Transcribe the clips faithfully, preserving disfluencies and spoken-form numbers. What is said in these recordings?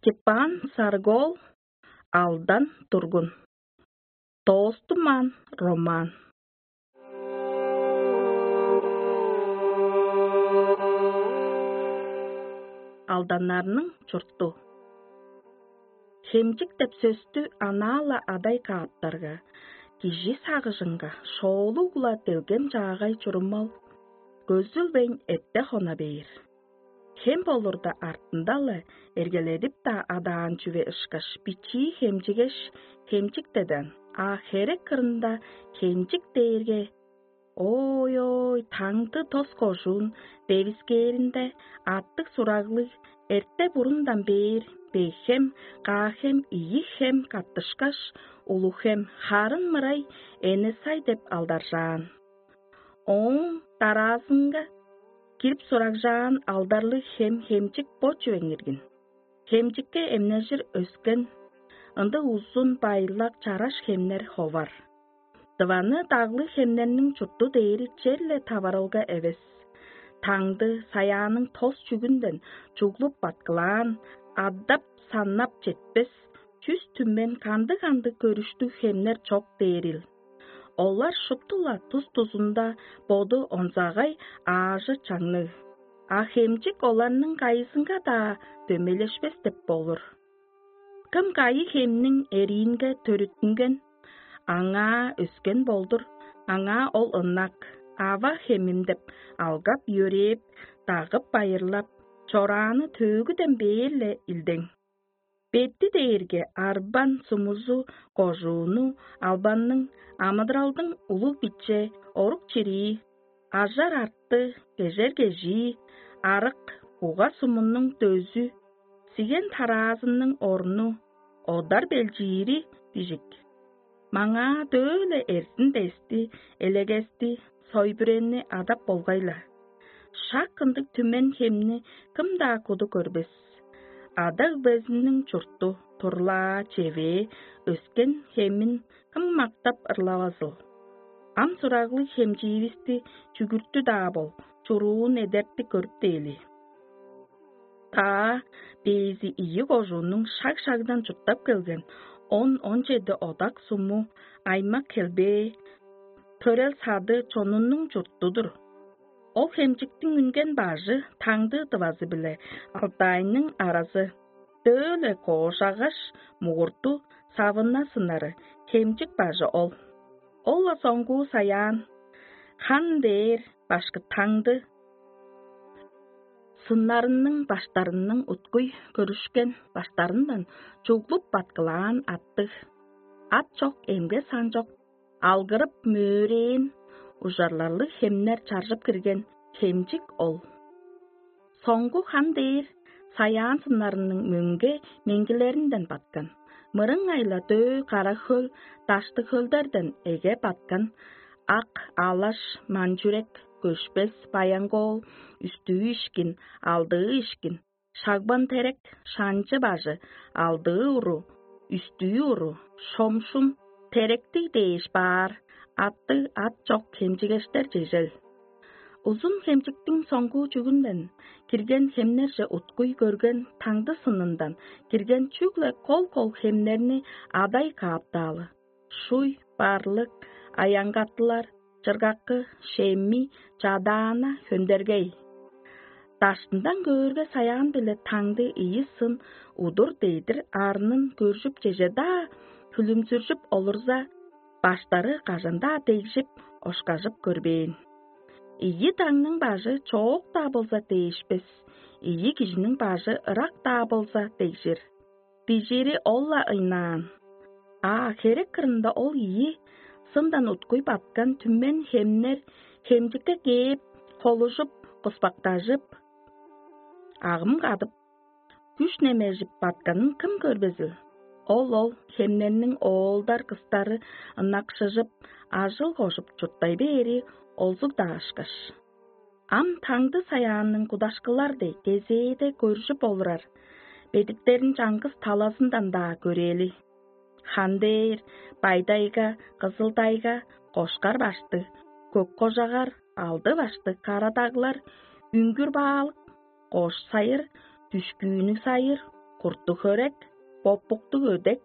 Степан Саргол, «Алдан тургун». Тоостумаан роман. Алданнарның чурту. Хемчик деп сөстү анаа-ла адай кааптарга, кижи сагыжынга шоолуг-ла делгем чаагай чурумал көзүлбейн эрте хона бээр. Хем болурда артында-ла эргеледип-даа адаан чүве ышкаш, бичии хемчигеш, хемчик дедаан, а херек кырында хемчик дээрге, ой-ой, таңды тос кожуун девискээринде аттыг-сураглыг, эрте бурундан бээр Бегхем, Каахем, ийи хем каттышкаш, Улуг-Хем, харын мырай Эне-Сай деп алдаржаан. Ооң дараазынга кирип сурагжаан алдарлыг хем-хемчик бо чүвең иргин. Хемчикке эмнежир өскен, ындыг узун, байлак, чараш хемнер ховар. Дываны даглыг хемнерниң чурту дээри черле таварылга эвес. Таңды, саяаның тос чүгүнден чуглуп баткылаан, адап-саннап четпес, чүс түмен кандыг-кандыг көрүштүг хемнер чок дээрил. Олар шупту-ла тус-тузунда боду онзагай, аажы чаңныг. А хемчик оларның кайызынга-даа дөмейлешпес деп болур. Кым кайы хемниң эриинге төрүттүнген, аңаа өскен болдур, аңаа ол ынак, ава хемим деп алгап-йөрээп, дагып-байырлап, чорааны төөгүден бээр-ле илдең. Бетти дээрге арбан сумузу кожууну, албанның, амыдыралдың улуг-биче, орук-чирии, ажар-арты, кежер-кежии, арык, буга-сумунуң дөзү, сиген-тараазының орну, одар-белчиири бижик. Маңаа дөө-ле эрзин-дести, элегести, сой-бүрени адап болгай-ла. Шак ындыг түмен хемни кым-даа куду көрбес. Ада-өгбезиниң чурту, турлаа, чевээ, өскен хемин кым мактап ырлавазыл? Ам сураглыг хемчиивисти чүгүртү-даа бол, чуруун эдертип көрүптээли. Таа бээзи ийи кожууннуң шаг-шагдан чурттап келген он, он чеди одак суму, аймак-хелбээ, төрел-сады чонунуң чурту-дур. Ол хемчиктиң үнген бажы Таңды Тывазы биле Алтайның аразы, дөө-ле коожагаш, мугурту, савына сынары хемчик бажы ол. Ол-ла соңгуу саяан, хан дээр башкы Таңды сыннарының баштарының уткуй көрүшкен баштарындан чуглуп баткылаан аттыг. Ат чок, эмге сан чок, алгырып мөөрээн ужарларлыг хемнер чаржып кирген хемчик ол. Соңгу хан дээр саяан сыннарының мөңге меңгилеринден баткан, мырыңай-ла дөө кара хөл, даштыг хөлдерден эге баткан, ак, алаш, манчүрек, көшпес, баянгоол, үстүү ишкин, алдыы ишкин, шагбан терек, шанчы бажы, алдыы уру, үстүү уру, шомшум, теректиг дээш баар, аттыг ат чок хемчигештер чежел. Узун хемчиктиң соңгуу чүгүнден кирген хемнерже уткуй көрген Таңды сынындан кирген чүгле кол-кол хемнерни адай кааптаалы. Шуй, барлык, аянгаттылар, чыргаккы, шемми, чадаана, хөндергей. Даштындан көөрге, саяан-биле Таңды ийи сын удур-дедир арнын көржүп чеже-даа, хүлүмзүржүп олурза, баштары кажан-даа дегжип, ошкажып көрбээн. Ийи даңның бажы чоок-даа болза дээшпес, ийи кижиниң бажы ырак-даа болза дегжир. Бижиири ол-ла ыйнаан. А херек кырында ол ийи сындан уткуй баткан түмен хемнер хемчикке кээп, холужуп, куспактажып, агым кадып, күш немежип батканын кым көрбезил? Ол-ол хемнерниң оолдар-кыстары ынакшыжып, ажыл кожуп чурттай бээри олзуг-даа ышкаш. Ам Таңды саяанның кудашкылар дег кезээде көржүп олурар бедиктерин чаңгыс талазындан-даа көрээли. Хандээр, Байдайга, Кызылдайга, Кошкар баштыг, Көк-Кожагар, Алды баштыг, Карадаглар, Үңгүр-Баалык, Кош-Сайыр, Дүшкүүнүг-Сайыр, куртуг-хөрек, бопуктуг өдек,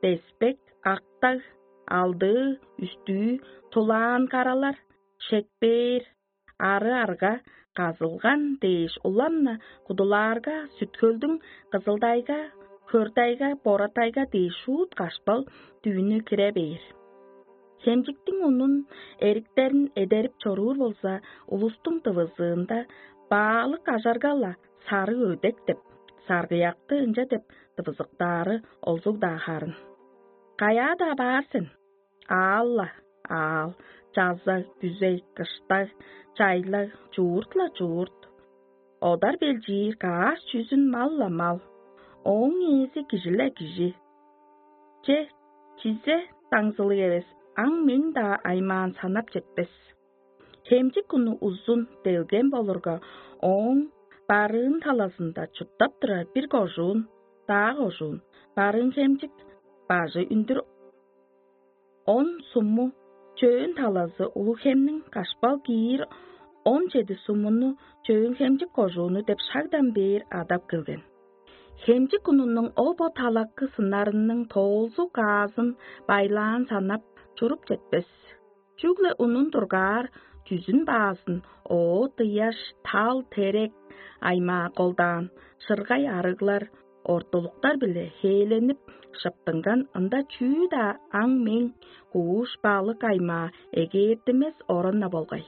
деспек, актаг, алдыы, үстүү, тулаан каралар, шекпээр, ары-арга, казылган дээш улам-на кудулаарга, сүткөлдүң кызылдайга, хөрдайга, боратайга дээш шуут кашпал дүүнү кире бээр. Хемчиктиң унун, эриктерин эдерип чоруур болза, улустуң дывызыында баалык ажарга-ла сарыг өдек деп, саргыякты ынча деп дывызыктаары олзуг-даа харын. Каяа-даа баар сен? Аал-ла аал, чазаг, күзей, кыштаг, чайлаг, чуурт-ла чуурт. Одар белчиир каш чүзүн мал-ла мал, ооң ээзи кижи-ле кижи. Че, чизе даңзылыг эвес, аң-мең-даа аймаан санап четпес. Хемчик уну узун, делгем болурга, ооң барыын талазында чурттап турар бир кожуун, даа кожуун, барыын хемчик, бажы үндүр он сумму, чөөн талазы улуг хемниң кашпал киир он чеди суммуну чөөн хемчик кожууну деп шагдан бээр адап келген. Хемчик унунуң ол бо талакы сыннарының тоолзу каазын байлаан санап чуруп четпес. Чүгле унун тургаар чүзүн баазын оът-ыяш, тал-терек, аймаа колдаан шыргай арыглар, ортулуктар-биле хээленип шыптынган ында чүү-даа аң-мең, кууш, балык аймаа эгээттимес оран-на болгай.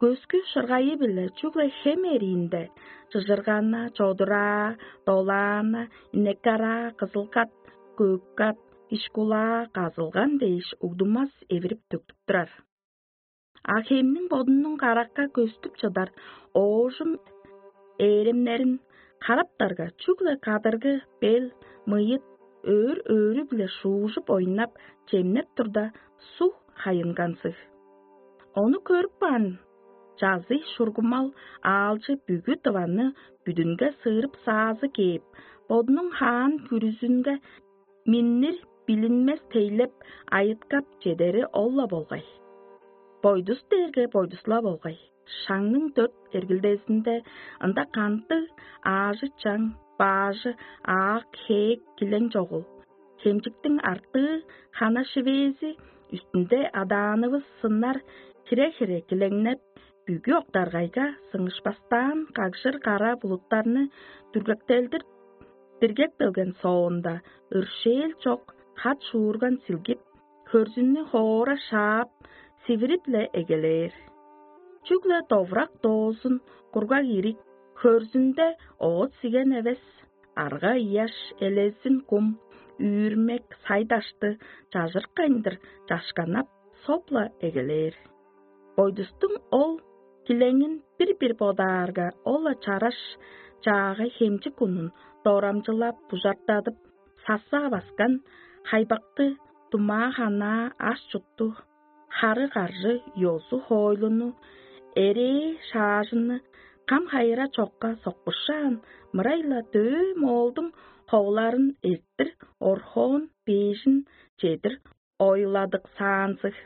Көскү шыргайы-биле чүгле хем эриинде чыжыргана, чодураа, долаана, инекараа, кызылгат, көккат, ишкулаа, казылган дээш угдумас эвирип-төктүп турар. А хемниң бодунуң каракка көстүп чыдар оожум ээремнерин караптарга, чүгле кадыргы, бел, мыйыт, өөр-өөрү-биле шуужуп ойнап, чемнеп турда, суг хайынганзыг. Ону көрүп каан чазый шургумал аалчы бүгү дываны бүдүнге сыырып саазы кээп, бодунуң хаан күрүзүнге миннир билинмес тейлеп, айыткап чедери ол-ла болгай. Бойдус дээрге бойдус-ла болгай. Шаңның дөрт эргилдезинде ында кандыг аажы-чаң, баажы, аак-хээк килең чогул. Хемчиктиң артыы хана шивээзи үстүнде адаанывыс сыннар хире-хире килеңнеп, бүгү октаргайга сыңышпастаан кагжыр кара булуттарны дүргектелдир диргек келген соонда, өршээл чок хат шуурган силгип, хөрзүннү хоора шаап, сивирип-ле эгелээр. Чүгле довурак доозун, кургаг ирик, хөрзүнде оът-сиген эвес, арга-ыяш, элезин кум, үүрмек, сай-дашты чажырыккайындыр чашканнап, соп-ла эгелээр. Бойдустуң ол килеңин бир-бир бодаарга, ол-ла чараш чаагай хемчик унун дорамчылап, бужартадып, сасаа баскан хайбакты, думаа-ханаа, аш-чутту, хары-каржы, ёзу-хоойлуну, эрээ-шаажынны кам-хайыра чокка соккушаан, мырай-ла дөөө моолдуң ховуларын эрттир, орхоон бээжин чедир ойладыксаанзыг.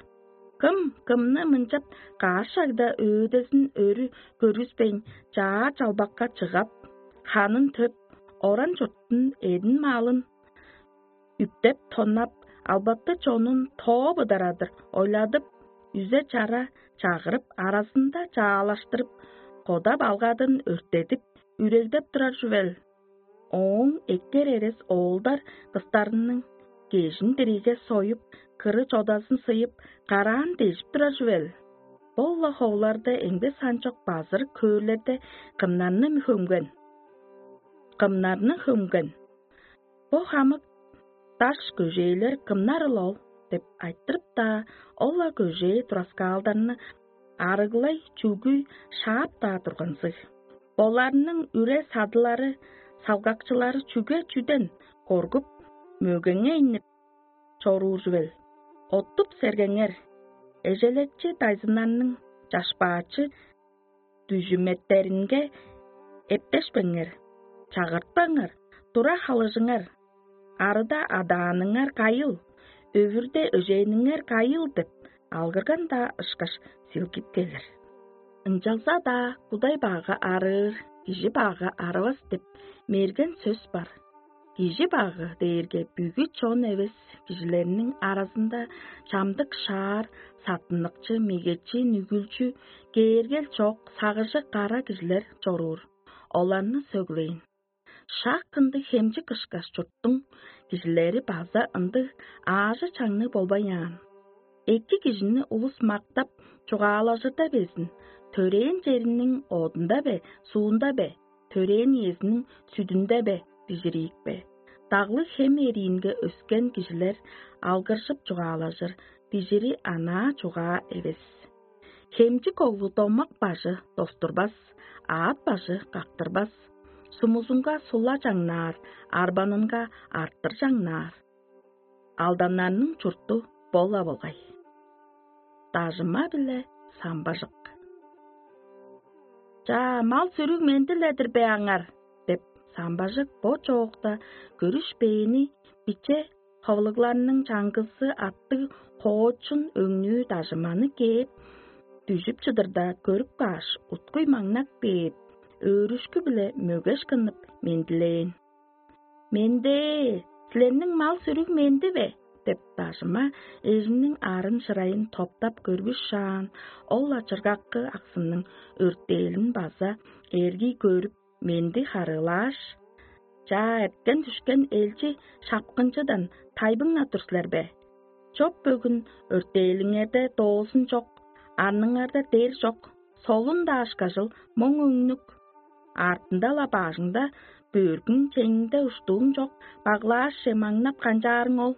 Кым кымны мынчап каш шагда өөдезин өрү көргүспейн, чаа чалбакка чыгап, ханын төп, оран-чуртун, эъдин-малын үптеп-тоннап, албаты чонун тооп ыдарадыр ойладып, үзе-чара чагырып, аразында чаалаштырып, кода-балгадын өрттедип, үрегдеп турар чүвел. Ооң эккер эрес оолдар кыстарының кежин диригге союп, кыры-чодазын сыйып, караан дежип турар чүвел. Ол-ла ховуларда эңде санчок базыр көөрлерде кымнарны хөмген? Кымнарны хөмген? Бо хамык даш көжээлер кымнарыл ол? — деп айтырып-даа, ол-ла көжээ тураскаалдарны арыглай чүгүй шаап-даа турганзыг. Оларның үре-садылары, салгакчылары чүге-чүден коргуп, мөгеңейнип чоруур чүвел? Оттуп-сергеңер, эжелекчи дайзыннарның чашпаачы дүжүметтеринге эптешпеңер, чагыртпаңар, тура халыжыңар. Арыда адааныңар кайыл, өвүрде өжээнниңер кайыл деп, алгырган-даа ышкаш силгип келир. Ынчалза-даа кудай багга арыыр, кижи багга арывас деп мерген сөс бар. Кижи багы дээрге бүгү чон эвес кижилерниң аразында чамдык шаар, саттыныкчы, мегечи, нүгүлчү, кээргел чок, сагыжы кара кижилер чоруур. Оларны сөглээн. Шак ындыг хемчик кышкаш чурттуң кижилери база ындыг аажы-чаңныг болбаяан. Эки кижини улус мактап чугаалажырда безин, төрээн чериниң одунда бе, суунда бе, төрээн иезиниң сүдүнде бе, бижириик бе? Даглыг хем эриинге өскен кижилер алгыржып чугаалажыр, бижири анаа чугаа эвес. Хемчик оглу домак бажы достурбас, аът бажы кактырбас, сумузунга сула чаңнаар, арбанынга арттыр чаңнаар. Алданнарның чурту бола болгай. Дажыма-биле самбажык. «Чаа, мал-сүрүг менди-ле-дир бе аңар?» — деп, самбажык бо чоокта көрүшпээни, биче ховулугларның чаңгызы аттыг хоочун өңнүү дажыманы кээп, дүжүп чыдырда көрүп кааш, уткуй маңнап кээп, өөрүшкү-биле мөгеш кынып мендилээн. «Менде, силерниң мал-сүрүг менди бе?» — деп, дажыма эжиниң арын-шырайын топтап көрбүс шаан, ол-ла чыргаккы аксынның өртээлин база эргий көрүп, менди харыылааш: «Чаа, эрткен-дүшкен элчи шапкынчыдан тайбыңнап тур силер бе? Чоп-бөгүн өртээлиңерде доозун чок, арныңарда дер чок, солун-даа ышкажыл моң өңнүк. Артында-ла бажыңда бөргүң, чеңиңде уштууң чок, баглаашче маңнап канчаарың ол.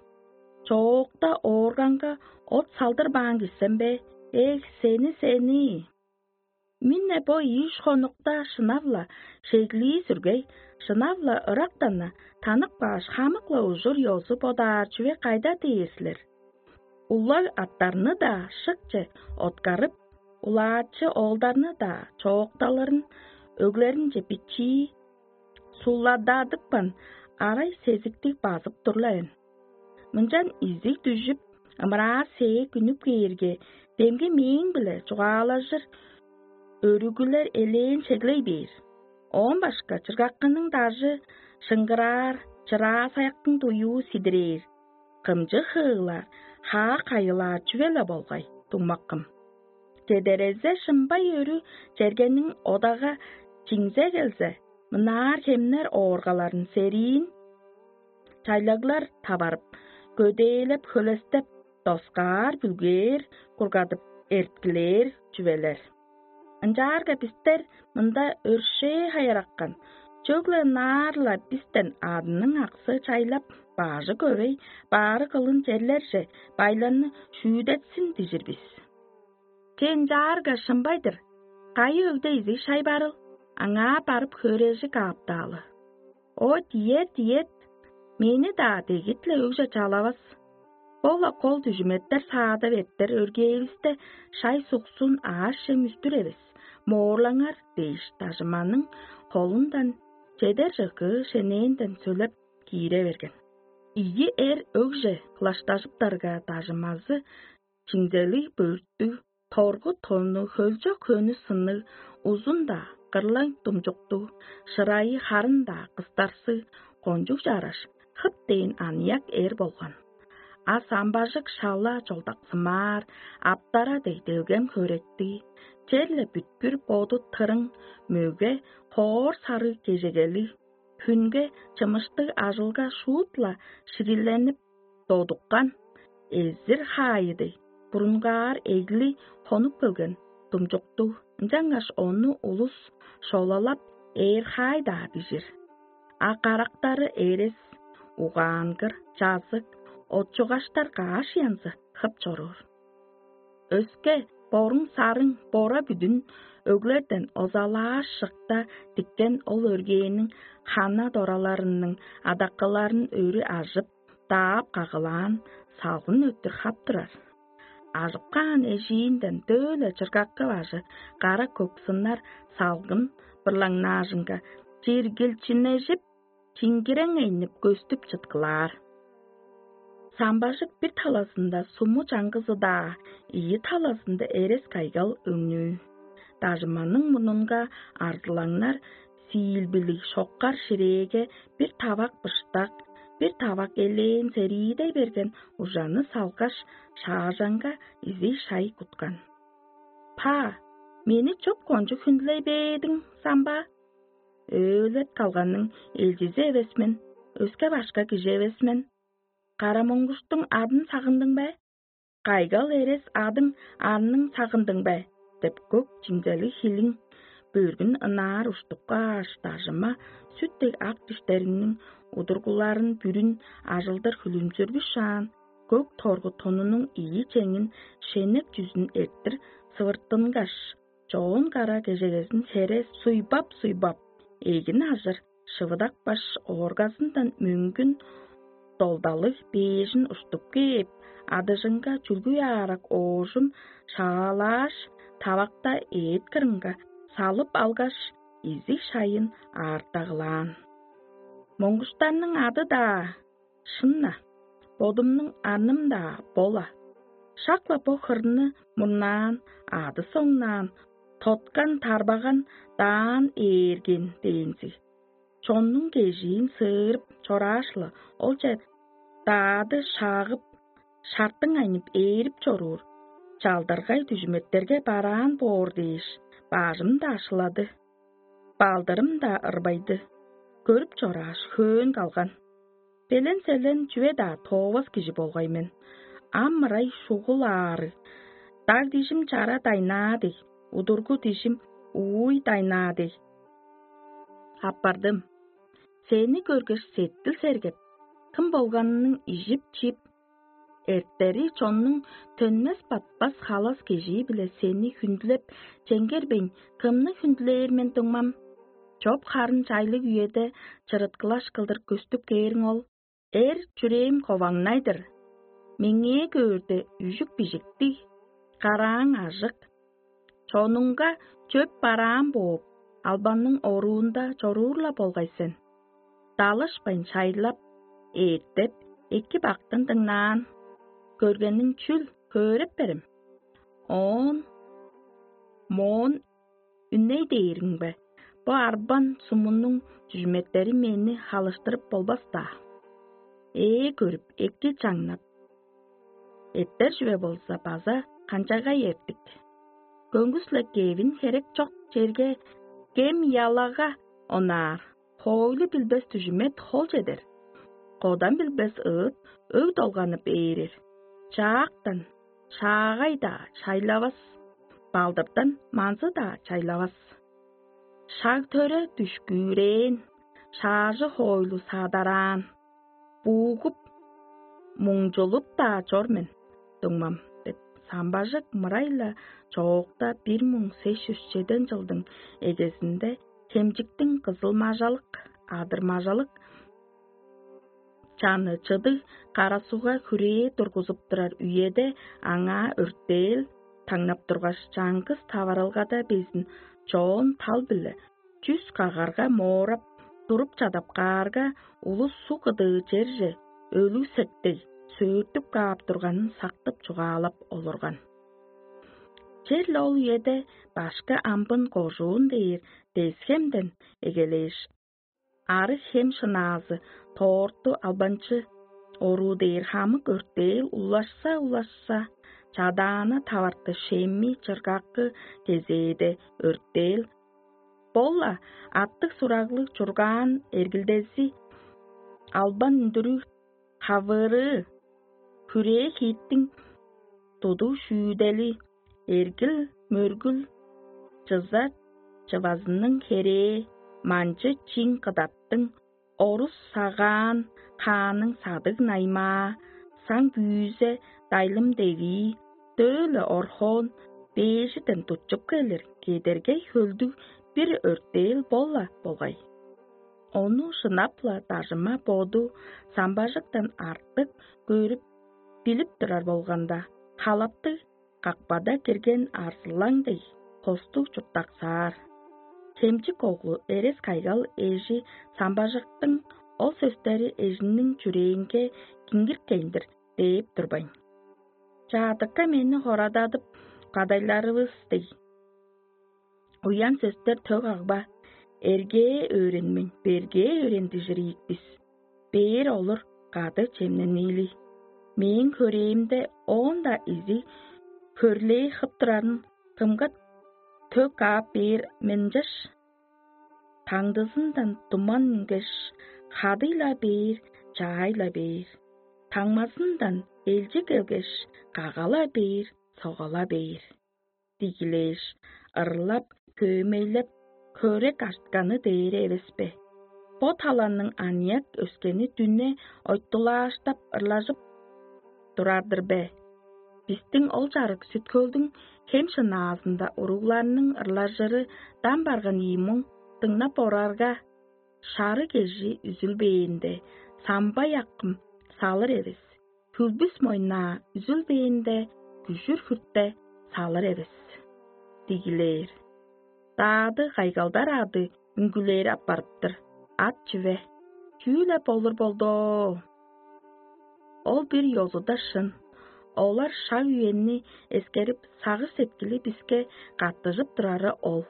Чоокта оорганга от салдырбаан кижи сен бе? Эх, сени, сени!» Минне бо ийиш хонукта шынап-ла шеглии сүргей, шынап-ла ырактан-на танып кааш, хамык-ла ужур-ёзу бодаар чүве кайда дээр силер? Улаг аттарны-даа шыкче откарып, улаачы оолдарны-даа чоокталырын өглеринче бичии суллададыпкан арай сезиктиг базып тур-ла мен. Мынчан изиг дүжүп, ымыраа-сээк үнүп кээрге, демги мээң-биле чугаалажыр өрүгүлер элээн чеглей бээр. Оон башка чыргаккының дажы шыңгыраар, чыраа саяктың дуюу сидирээр, кымчы хыылаар, хаа кайылаар чүве-ле болгай, дуңмаккым. Чедерезе шымбай өрү чергениң одага чиңзе келзе, мынаар хемнер ооргаларын сериин чайлаглар таварып, көдээлеп, хөлестеп, доскаар, бүлгээр, кургадып, эрткилээр чүвелер. Ынчаарга бистер мында өршээ хайыраккан, чөгле ынаар-ла бистен адының аксы чайлап, бажы көвей, баары кылын черлерже байларны шүүдетсин дижир бис. Че, ынчаарга шымбай-дыр, кайы өгде изиг шай барыл, аңаа барып хөөрежи кааптаалы. О, диет, диет, мени-даа дегит-ле өгже чалавас. Бо-ла кол дүжүметтер саадап эртер өргээвисте шай суксун аъш-чем үстүр эвес, моорлаңар дээш, дажыманың холундан чедер чыгыы шенээнден сөлеп киире берген. Ийи эр өгже кылаштажыптарга, дажымазы чиңзелиг бөрттүг, торгу тонну, хөлчок хөнү сынныг, узун-даа, кырлаң думчуктуг, шырайы харын-даа кыстарсыг, кончуг чараш, хып дээн аныяк эр болган. А самбажык шала чолдаксымаар, аптара дег делгем хөректиг, черле бүткүр боду тырың, мөге, хоор сарыг кежегелиг, хүнге чымыштыг ажылга шуут-ла шириленип додуккан, эзир хаайы дег, бурунгаар эгли хонуп келген думчуктуг, ынчангаш ону улус шолалап ээр хаай-даа бижир. А карактары эрес, угаангыр, чазык, отчугаштар каш янзы хып чоруур. Өске боруң-сарың бора бүдүн өглерден озалаар шыкта диккен ол өргээнниң хана дораларының адаккыларын өрү ажып, даап кагылаан салгын өттүр хап турар. Ажып каан эжиинден дөөле чыргаккы бажы кара көк сыннар салгын бырлаңнаажынга чиргилчиннежип, чиңгирең энип көстүп чыткылаар. Самбажык бир талазында суму чаңгызы-даа, ийи талазында эрес кайгал өңнүү. Дажыманың мурнунга арзылаңнар сиилбилиг шоккар ширээге бир тавак быштак, бир тавак элээн сериидей берген ужаны салгаш, шаажаңга изиг шай куткан. «Па, мени чоп кончуг хүндүлей бээдиң самба? Өөлет калганның элчизи эвес мен, өске башка кижи эвес мен. Кара моңгуштуң адын сагындың бе? Кайгал эрес адың арның сагындың бе?» — деп көк чимзелиг хилиң бөргүн ынаар уштуп кааш, дажыма сүт дег ак диштериниң удургуларын бүрүн ажылдыр хүлүмзүргүшаан, көк торгу тонунуң ийи чеңин шенеп чүзүн эрттир сывыртынгаш, чоон кара кежегезин хере суйбап-суйбап, эгин ажыр шывыдак баш ооргазындан мөңгүн долдалыг бээжин уштуп кээп, адыжынга чүлгү аарак оожум шаалааш, тавакта эът кырынга салып алгаш, изиг шайын аартагылаан. Моңгуштарның ады-даа шын-на, бодумнуң арным-даа бо-ла. Шак-ла бо хырны мурнаан, ады соңнаан, тоткан тарбаган даан ээрген дээнзиг. Чоннуң кежиин сыырып чорааш-ла, олче даады шаагып, шартың айнып ээрип чоруур, чалдыргай дүжүметтерге бараан боор дээш, бажым-даа шылады. Балдырым-даа ырбайды. Көрүп чорааш, хөөн калган. Белен-селен чүве-даа тоовас кижи болгай мен. Ам ырай шугул аарыг. Даг дижим чара дайнаа дег, удургу дижим ууй дайнаа дег. Аппардым. Сени көргеш, сеткил сергеп, кым болганының ижип-чип, эртери чоннуң төнмес-батпас халас кежии-биле сени хүндүлеп, чеңгербейн, кымны хүндүлээр мен, дуңмам? Чоп харын чайлыг үеде чырыткылаш кылдыр көстүп кээриң ол. Эр чүрээм коваңнай-дыр. Меңээ көөрде, үжүк бижиктиг, карааң ажык. Чонуңга чөп бараан бооп, албанның оруунда чоруур-ла болгай сен. Далышпайн шайлап, ээттеп, эки бактын дыңнаан. Көргениң чүл, хөөреп берем. Оон моон үней дээриң бе? Бо арбан сумунуң чүжүметтери мени халыштырып болбас-даа. Ээ көрүп, эки чаңнап, эттер чүве болза база канчагай эртик. Көңгүс-ле кевин херек чок черге кем ялага онаар, хоойлу билбес дүжүмет хол чедер, кодан билбес ыыт өг долганып ээрер. Чаактан шаагай-даа чайлавас, балдырдан манзы-даа чайлавас. Шаг төре дүшкүүрээн, шаажы хоойлу садараан, буугуп, муңчулуп-даа чор мен, дуңмам, — деп, самбажык мырай-ла чоокта бир муң сес чүс чеден чылдың эгезинде Хемчиктиң кызыл-мажалык, адыр-мажалык чаны чыдыг кара сугга хүрээ тургузуп турар үеде аңаа өртээл таңнап тургаш, чаңгыс таварылгада безин чоон тал-биле чүс кагарга моорап туруп чадап каарга, улус суг кыдыы черже өлүг сектей сөөртүп каап турганын сактып чугаалап олурган. Черле ол үеде башкы амбын кожуун дээр Десхемден эгелээш, арыг хем шынаазы тоорту албанчы оруу дээр хамык өртээл улашса-улашса, Чадаана таварты Шемми чыргакы кезээде өртээл, бо-ла аттыг-сураглыг чургаан эргилдези, албан үндүрүг хавырыы, хүрээ хииттиң тудуг шүүдели, эргил-мөргүл, чыза чывазының херээ, манчы чиң кыдаттың, орус сагаан хааның садыг наймаа, саң бүүзе, дайлым девии, дөө-ле орхоон, бээжиден тутчуп келир кедергей хөлдүг бир өртээл бо-ла болгай. Ону шынап-ла дажыма боду самбажыктан артык көрүп, билип турар болганда, халаптыг какпада кирген арзылаң дег, хостуг чурттаксаар. Хемчик оглу Эрес-Кайгал эжи самбажыктың ол сөстери эжиниң чүрээнге киңгирткейн-дир дээп турбайн. Чаадыкка мени хорададып, кадайларывыс дег, уян сөстер төг агба, эргээ өөренмейн, бергээ өөрендижир ийик бис. Бээр олур кады чемнениили. Мээң хөрээмде оон-даа изи хөрлээ хып турарын кымга төк каап бээр мен ынчаш, таңдызындан туман үнгеш, хадый-ла бээр, чаай-ла бээр, таңмазындан элчи келгеш, кагала бээр, согала бээр. Дигилээш, ырлап, хөөмейлеп, хөрек артканы дээри эвес бе? Бо таланның аныяк өскени дүне ойтулааштап ырлажып турар-дыр бе? Бистиң ол чарык Сүт-Хөлдүң хем шынаазында уругларның ырлажыры дам барган ийи муң дыңнап орарга, шары кежи үзүлбээнде, самбай акым салыр эвес, хүлбүс мойнаа үзүлбээнде, күжүр хүртте салыр эвес. Дигилээр. Даады кайгалдар ады үңгүлээр аппарыптыр. Ат чүве? Чүү-ле болур болдоо? Ол бир ёзуда шын. Олар шаг үенни эскерип, сагыш сеткили биске каттыжып турары ол.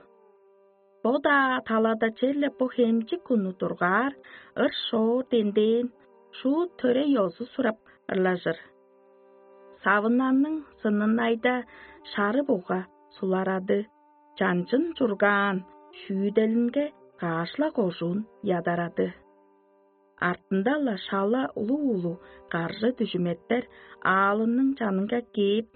Бо-даа талада черле бо хемчик куну дургаар, ыр-шоор денден, шуут төре ёзу сурап ырлажыр. Савынанның сынынайда шары буга суларады, чанчын чургаан шүүделинге каашла кожуун ядарады. Артында-ла шала улуу-улуу каржы дүжүметтер аалының чанынга кээп,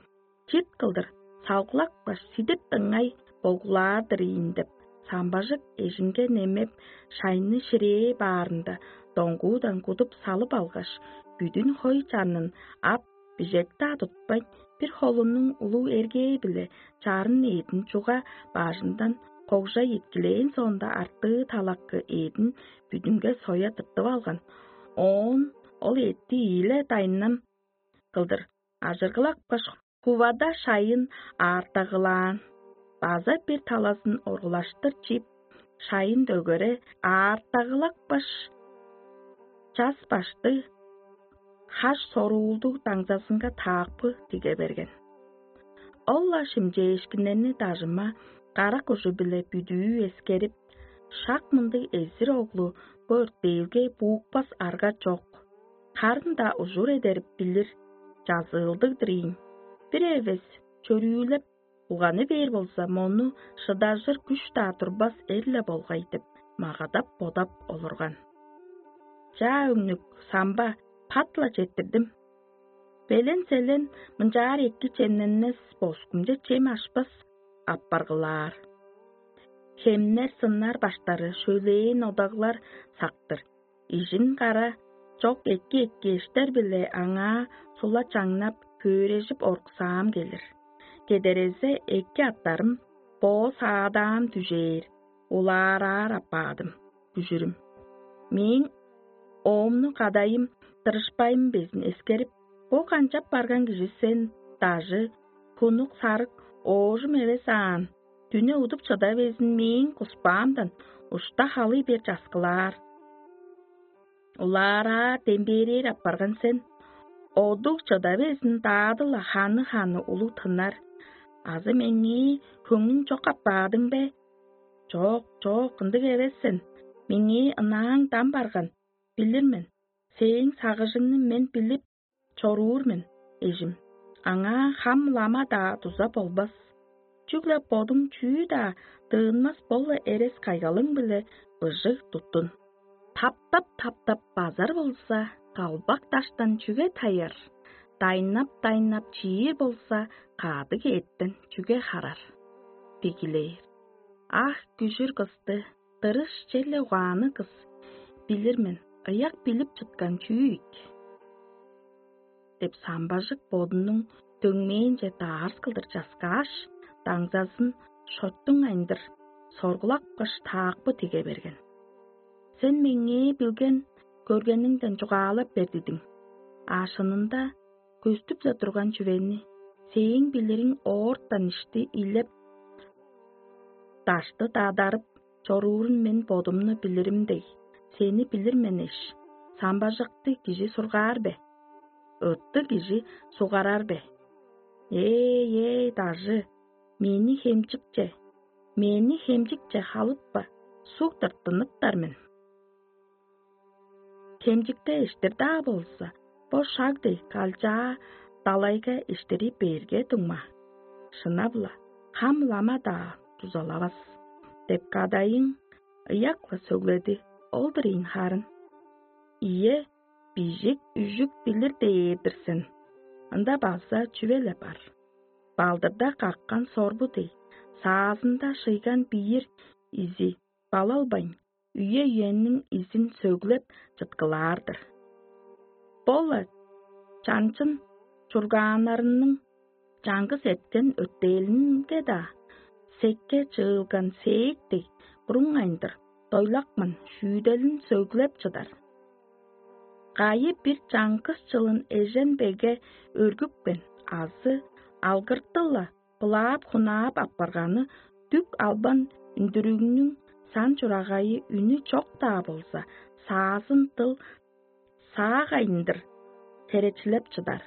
чит кылдыр салгылакпаш сидип дыңай болгулаар-дыр ийин деп, самбажык эжинге немеп, шайны ширээ баарында доңгуудан кудуп салып алгаш, бүдүн хой чанын ап, бижек-даа тутпайн, бир холунуң улуг эргээ-биле чарын эъдин чуга бажындан когжай эткилээн соонда, артыы талакы эъдин бүдүнге соя тыртып алган. Оон ол эътти ийиле дайнам кылдыр ажыргылапкаш, хувада шайын аартагылаан. База бир талазын оргулаштыр чип, шайын дөгере аартагылапкаш, час башты хаш соруулдуг даңзазынга таакпы тиге берген. Ол-ла шимчээшкиннерни дажыма карак ужу-биле бүдүү эскерип, шак мындыг эзир оглу бо өртээлге буукпас арга чок. Харын-даа ужур эдерип билир, чазыылдыг-дыр ийин. Бир эвес чөрүүлеп, улганы бээр болза, мону шыдажыр күш-даа турбас эр-ле болгай деп, магадап-бодап олурган. Чаа, өңнүк, самба, пат-ла четтирдим. Белен-селен мынчаар эки чемненмес, боскумче чем ашпас апаргылаар. Хемнер сыннар баштары шөлээн одаглар сактыр. Ижин кара чок эки-эки эштер-биле аңаа сула чаңнап, хөөрежип оруксаам келир. Кедерезе эки аттарым боо саадаам дүжээр, улаараар апаадым, күжүрүм. Мээң оомну кадайым дырышпайым безин эскерип, бо канчап барган кижи сен, дажы, хунук-сарык оожум эвес аан, дүне удуп чыда безин мээң куспаамдан ушта халый бер часкылаар. Улаараа дембээрээр апарган сен, одуг чыда безин даадыла ханы-ханы улуг тынар. Азы меңээ хөңнүң чок апаадың бе? Чок, чок, ындыг эвес сен. Меңээ ынааң дам барган, билир мен. Сээң сагыжыңны мен билип чоруур мен, эжим. Аңаа хам-лама-даа дуза болбас. Чүгле бодуң чүү-даа дыынмас, бо-ла эрес кайгалың-биле быжыг туттун. Таптап-таптап базар болза, калбак даштан чүге таяр? Дайнап-дайнап чиир болза, кадыг эъттен чүге харар? Дигилээр. Ах, күжүр кысты, дырыш черле угаанныг кыс, билир мен, ыяк билип чыткан чүү ийик? Деп самбажык бодунуң дөңмээнче даарс кылдыр часкааш, даңзазын шоттуң айындыр соргулапкаш, таакпы тиге берген. Сен меңээ билген көргениңден чугаалап бер дидиң. А шынында көстүп-ле турган чүвени, сээң билириң оортан ишти илеп, дашты дадарып чоруурун мен бодумну билирим дег, сени билир мен эш. Самбажыкты кижи сургаар бе? Ытты кижи сугарар бе? Эй-эй, дажы, мени хемчикче, мени хемчикче халытпа, суг тырттыныптар мен. Хемчикте иштир-даа болза, бо шаг дег калчаа далайга иштири берге дуңма, шынап-ла, хам-лама-даа дузалавас» — деп кадайың ыяк-ла сөгледи. Ол-дур ийин харын. Ийе, бижик-үжүк билир дээр-дир сен. Ында база чүве-ле бар. Балдырда каккан сорбу дег, саазында шыйган биир изи балалбайн, үе-үениң изин сөглеп чыткылаар-дыр. Бо-ла чанчын чургааннарының чаңгыс эрткен өттээлинге-даа, секке чыылган сээк дег буруңайындыр дойлакман шүүделин сөглеп чыдар. Кайы бир чаңгыс чылын эжен-беге өргүпкен азы алгыртыл-ла былаап-хунаап апарганы дүк албан үндүрүгнүң сан-чурагайы үнү чок-даа болза, саазын дыл саагайындыр херечилеп чыдар.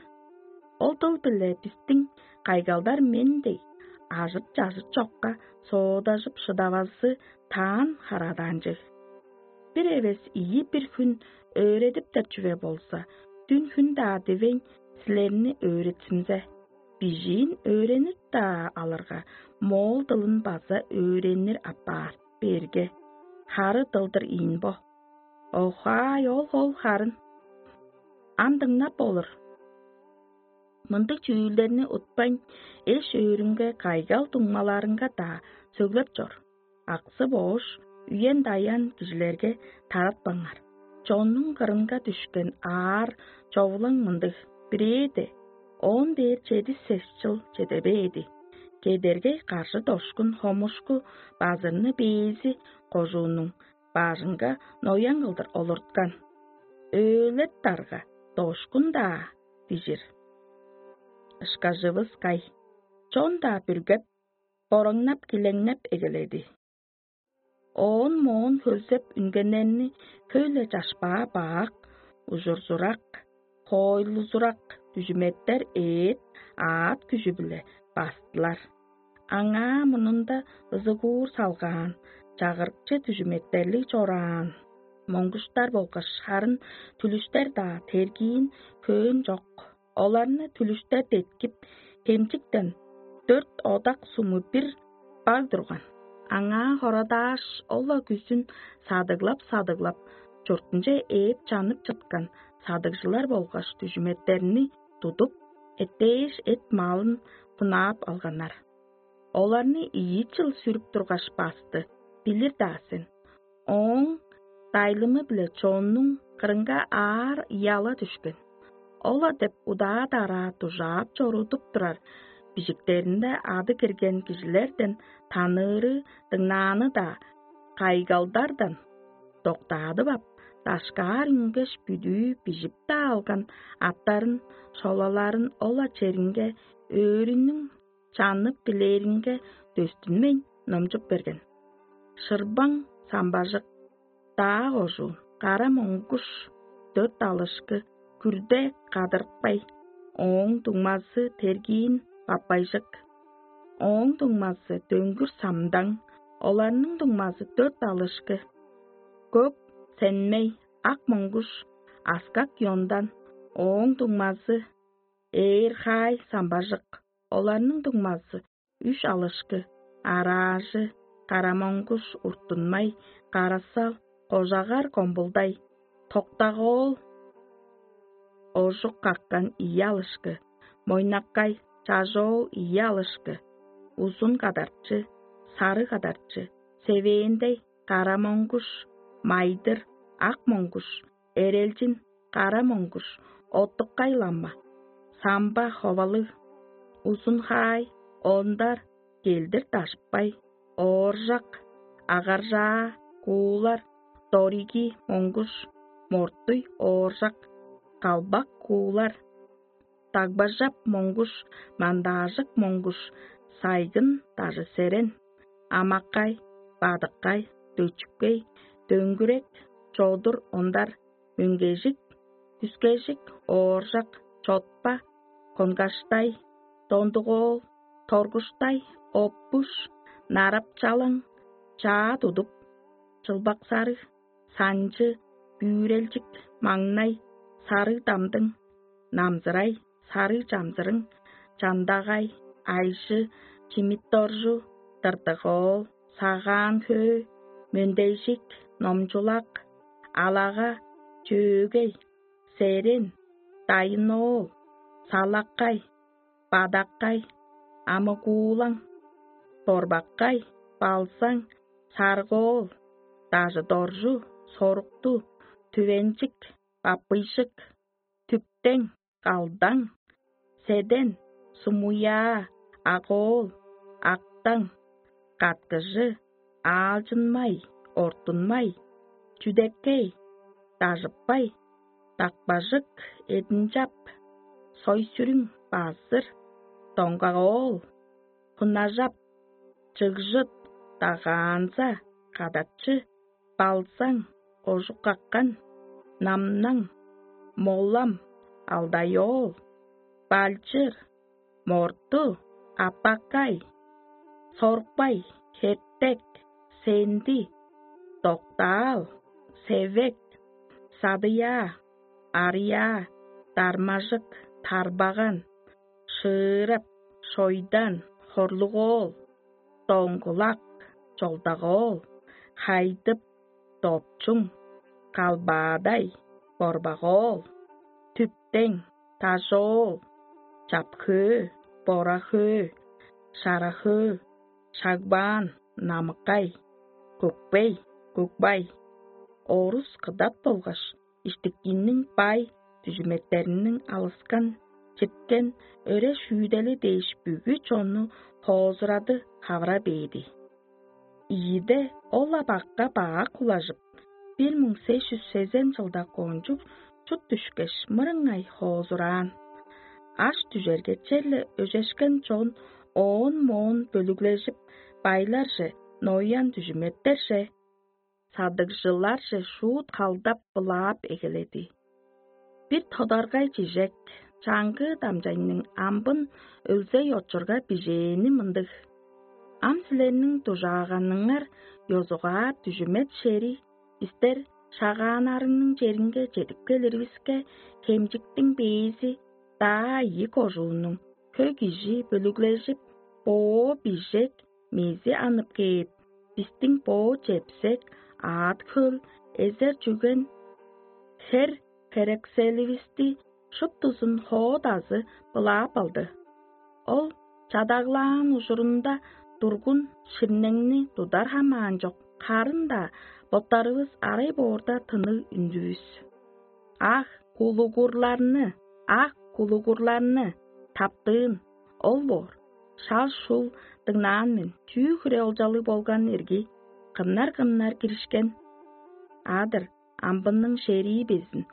Ол дыл-биле бистиң кайгалдар мен дег ажыт-чажыт чокка соодажып шыдавазы таан харадаанчыг. Бир эвес ийи бир хүн өөредиптер чүве болза, дүн-хүн-даа дивейн силерни өөретсинзе, бижиин өөренир-даа алырга, моол дылын база өөренир апаар берге. Хары дылдыр ийин бо. Охай, ол-хол харын. Ам дыңнап болур. Мындыг чүүлдерни утпайн, эш-өөрүңге, кайгал дуңмаларыңга-даа сөглеп чор. Аксы-боош, үен-даян кижилерге таратпаңар. Чоннуң кырынга дүшкен аар човулаң мындыг: бирээде он бээр чеди сес чыл чеде бээди. Кедергей каржы дошкун хомушку базырны бээзи кожуунуң бажынга ноян кылдыр олурткан. Өөлет дарга дошкун-даа дижир. Ышкажывыс кай? Чон-даа бүргеп, бораңнап-килеңнеп эгеледи. Оон моон хөлзеп үнгеннерни хөй-ле чашпаа бак, ужурзурак, хоойлузурак дүжүметтер эът аът күжү-биле бастылар. Аңаа мурнунда ызыгуур салгаан чагырыкчы дүжүметтерлиг чораан моңгуштар болгаш харын түлүштер-даа тергиин хөөн чок. Оларны түлүштер деткип, хемчиктен дөрт одак суму бир баг турган. Аңаа хорадааш, ол-ла күзүн садыглап-садыглап, чуртунче ээп чанып чыткан садыгжылар болгаш дүжүметтерни тудуп, эттээш эт-малын хунаап алганнар. Оларны ийи чыл сүрүп тургаш басты, билир-даа сен. Ооң дайлымы-биле чоннуң кырынга аар ыяла дүшкен. Ол-ла деп удаа-дараа дужаап чорудуп турар бижиктеринде ады кирген кижилерден таныыры, дыңнааны-даа кайгалдардан доктаадып ап, дашкаар үнгеш, бүдүү бижип-даа алган аттарын, шолаларын ол-ла черинге өөрүнүң чанып дилээринге дөстүнмейн номчуп берген. Шырбаң самбажык, даа кожуун, кара моңгуш, дөрт алышкы, күрде кадырыпкай, ооң дуңмазы тергиин баппайжык, ооң дуңмазы дөңгүр самдаң, оларның дуңмазы дөрт алышкы, көк сенмей, ак моңгуш, аскак ёндан, ооң дуңмазы ээр хаай самбажык, оларның дуңмазы үш алышкы, араажы, карамоңгуш, уртунмай, карасал, кожагар комбулдай, токтагоол, ожук каккан ийи алышкы, мойнаккай, чажоол ийи алышкы, узун кадарчы, сары кадарчы, севээндей, карамоңгуш, майдыр, ак моңгуш, эрелчин, кара моңгуш, оттуккай ламма, самба ховалыг, узун хаай, ондар, келдир дашпай, ооржак, агаржаа, куулар, дориги моңгуш, мортуй ооржак, калбак куулар, дагбажап моңгуш, мандаажык моңгуш, сайгын дажы серен, амаккай, бадыккай, дөчүпкей, дөңгүрек, чодур ондар, мөңгежик, күскежик, ооржак, чотпа, конгаштай, дондугоол, торгуштай, оппуш, нарапчалаң, чаа тудуп, чылбак сарыг, санчы, бүрелчик, маңнай, сарыг дамдың, намзырай, сарыг чамзырың, чандагай, айжы, чимит доржу, тыртык оол, сагаан хөө, мөндейжик, номчулак, алага, чөөгей, серен, дайын оол, салаккай, бадаккай, амыгуулаң, борбаккай, балзаң, саргоол, дажы-доржу, сорукту, түвенчик, баппыйжык, түптең, галдаң, седен, сумуяа, агоол, актаң, каткыжы, аалчынмай, ортунмай, чүдеккей, дажыппай, дакпажык, эдинчап, сой-сүрүң, базыр, доңгак оол, хунажап, чыгжыт, дагаанза, кадакчы, балзаң, кожук-каккан, намнаң, молам, алдай оол, балчыр, морту, аппаккай, сорукпай, хептек, сенди, доктаал, севек, садыяа, арыяа, дармажык, тарбаган, шыырап, шойдан, хорлуг оол, доңгулак, чолдак оол, хайдып, допчуң, калбаадай, борбак оол, түптең, дажоол, чапхөө, борахөө, шарахөө, шагбаан, намыккай, көкпей, көкбай, орус кыдат болгаш иштиккинниң бай дүжүметтериниң алыскан, читкен өре-шүүдели дээш бүгү чонну хоозурады хавыра бээди. Ийиде ол-ла бакка бак улажып, бир муң сес чүс сезен чылда кончуг чут дүшкеш, мырыңай хоозураан. Аш дүжерге черле өжешкен чон оон-моон бөлүглежип, байларже, ноян дүжүметтерже, садыгжыларже шуут халдап былаап эгеледи. Бир тодаргай чижек, чаңгыы дамчайның амбын өлзей очурга бижээни мындыг: «Ам силерниң дужааганыңар ёзугаар дүжүмет шери, бистер шагааннарының черинге чедип келиривиске, хемчиктиң бээзи даа ийи кожууннуң хөй кижи бөлүглежип, боо бижек мези анып кээп, бистиң боо чепсек, аът-хөл, эзер-чүген, хер херекселивисти шуптузун хоо-дазы былаап алды. Ол чадаглаан ужурунда тургун ширнеңни тудар хамаан чок, харын-даа боттарывыс арай боорда тынныг үндүвүс. Ах, кулугурларны, ах, кулугурларны таптыын, ол боор. Шал-шул дыңнаан мен, чүү хире олчалыг болган ирги, кымнар-кымнар киришкен. А-дыр, амбынның шерии безин,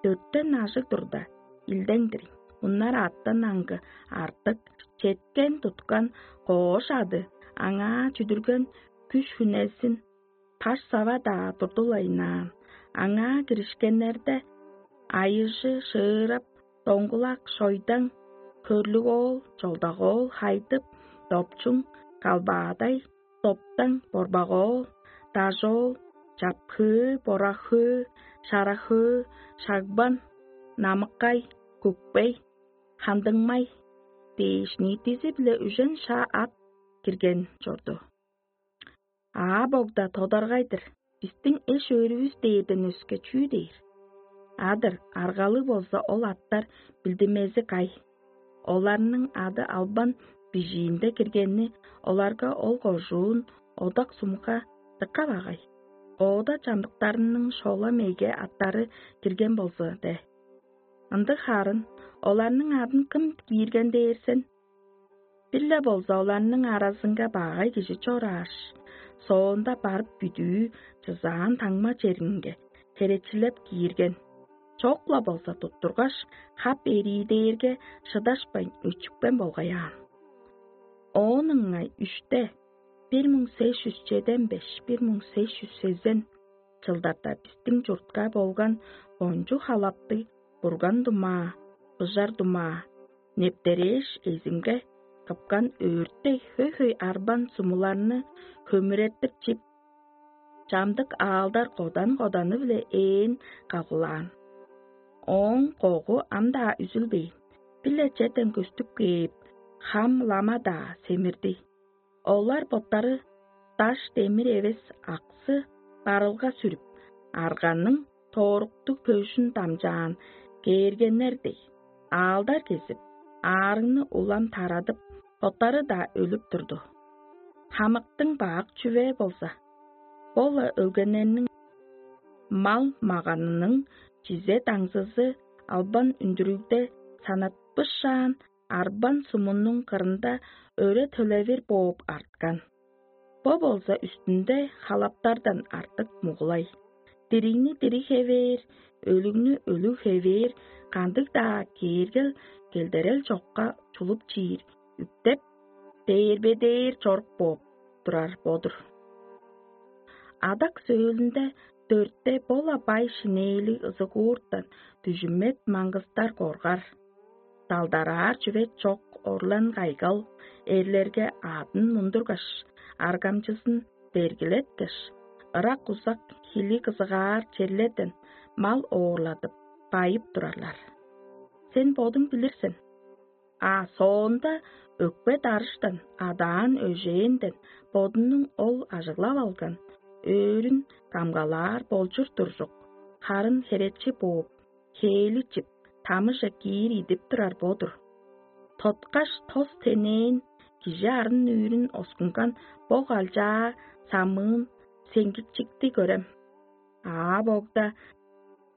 дөртен ажыг турда, илдең-дир. Муннар аъттан аңгы артык, четкен-туткан коош ады, аңаа чүдүрген күш-хүнезин, паш-сава-даа турдулайнаан. Аңаа киришкеннерде айыжы, шыырап, доңгулак, шойдаң, хөрлүг оол, чолдак оол, хайдып, допчуң, калбаадай, доптаң, борбак оол, дажоол, чапхыы, борахыы, шарахыы, шагбан, намыккай, күкпей, хандыңмай дээш, ниитизи-биле үжен шаа ат кирген чорду. Аа, богда тодаргай-дыр, бистиң эш-өөрүвүс дээрден өске чүү дээр? А-дыр, аргалыг болза, ол аттар билдинмези кай? Оларның ады албан бижиинде киргени оларга ол кожуун, одак-сумга дыка багай. Оода чамдыктарының шола-меге аттары кирген болза де. Ындыг харын оларның адын кым киирген дээр сен? Бир-ле болза оларның аразынга багай кижи чорааш, соонда барып бүдүү чызаан таңма черинге херечилеп киирген. Чок-ла болза туттургаш, хап эрии дээрге шыдашпайн, өчүпкен болгай аан. Оон ыңай үште, бир муң сес чүс чеден беш, бир муң сес чүс сезен чылдарда бистиң чуртка болган кончуг халаптыг бурган думаа, быжар думаа, нептерээш эзимге кыпкан өөртей хөй-хөй арбан сумуларны хөмүреттир чип, Чамдык аалдар кодан-коданы-биле ээн калгылаан. Ооң когу ам-даа үзүлбээн, биле чеден көстүп кээп, хам лама-даа семирди. Олар боттары даш-демир эвес аксы барылга сүрүп, арганның тооруктуг көжүн дамчаан кээргеннер дег, аалдар кезип, аарыгны улам тарадып, боттары-даа өлүп турду. Хамыктың бак чүве болза, бо-ла өлгеннерниң мал-маганының чизе-даңзызы албан үндүрүгде санатпышаан арбан сумунуң кырында өре төлевир бооп арткан. Бо болза үстүнде халаптардан артык мугулай. Диригни дириг хевээр, өлүгнү өлүг хевээр, кандыг-даа кээргел келдерел чокка чулуп чиир үптеп, дээрбедээр чорук бооп турар бо-дур. Адак сөөлүнде дөртте бо-ла бай шинээли ызыгууртан дүжүмет маңгыстар коргар. Далдараар чүве чок орлан кайгал эрлерге аъдын мундургаш, аргамчызын бергилеткеш, ырак-узак хили кызыгаар черлерден мал оорладып, байып турарлар. Сен бодуң билир сен. А соонда өкпе-дарыштан адаан өжээнден бодунуң ол ажыглап алган өөрүн камгалаар болчур туржук, харын херечи бооп, хээли чип, тамыже киир идип турар бо-дур. Тоткаш тос тенээн кижи арын-нүүрүн оскунган бо калчаа самыын сеңгикчикти көрем. Аа богда,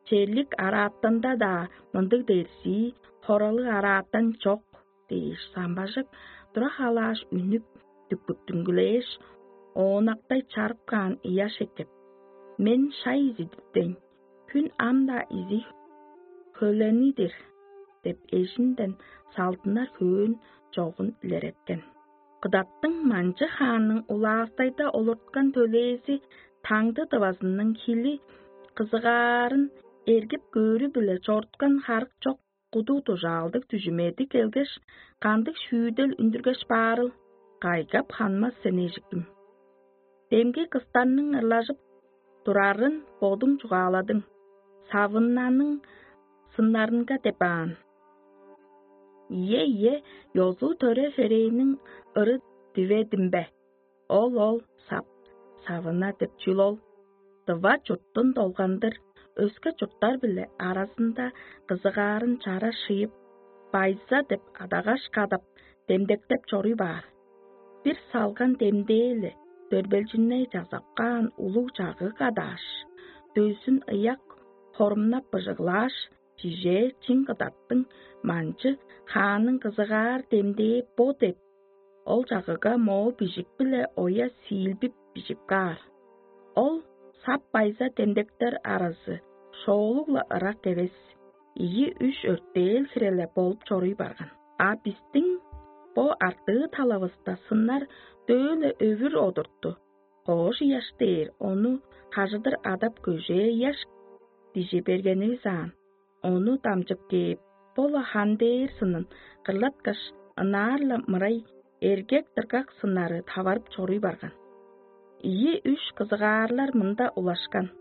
черлик арааттанда-даа мындыг дерзии хоралыг арааттан чок дээш, самбажык тура халааш үнүп, дүкпүттүнгүлээш, оонактай чарып каан ыяш эккеп: «Мен шай изидиптейн, хүн ам-даа изи хөлени-дир» – деп эжинден салдынар хөөн чогун илереткен. Кыдаттың манчы хаанның улаастайда олурткан төлээзи таңды дывазының хили кызыгаарын эргип көөрү-биле чоруткан харык чок куду дужаалдыг дүжүмеди келгеш, кандыг шүүдел үндүргеш баарыл, кайгап ханмас сен эжиким. Демги кыстарның ырлажып турарын бодуң чугааладың, савыннаның сыннарынга деп аан. Ийе, ийе, ёзу-төре херээниң ыры диведим бе? Ол, ол, сап, савына деп чүл ол. Дыва чурттун долгандыр, өске чурттар-биле аразында кызыгаарын чара шыйып, байза деп адагаш кадап, демдектеп чоруй баар. Бир салган демдээ-ле дөрбелчинней чазап каан улуг чагыг адааш, дөзүн ыяк хорумнап быжыглааш, чижээ чиң кыдаттың манчы хаанның кызыгаар демдээ бо деп, ол чагыга моол бижик-биле оя сиилбип бижип каар. Ол сап байза демдектер аразы шоолуг-ла ырак эвес, ийи-үш өртээл хире-ле болуп чоруй барган. А бистиң бо артыы талавыста сыннар дөөле өвүр одурту, коош ыяш дээр ону хажыдыр адап көжээ ыяш дижи бергенивис аан. Ону дамчып кээп, бо-ла хан дээр сынын кырлаткаш, ынаар-ла мырай эргек-дыргак сыннары таварып чоруй барган. Ийи-үш кызыгаарлар мында улашкан.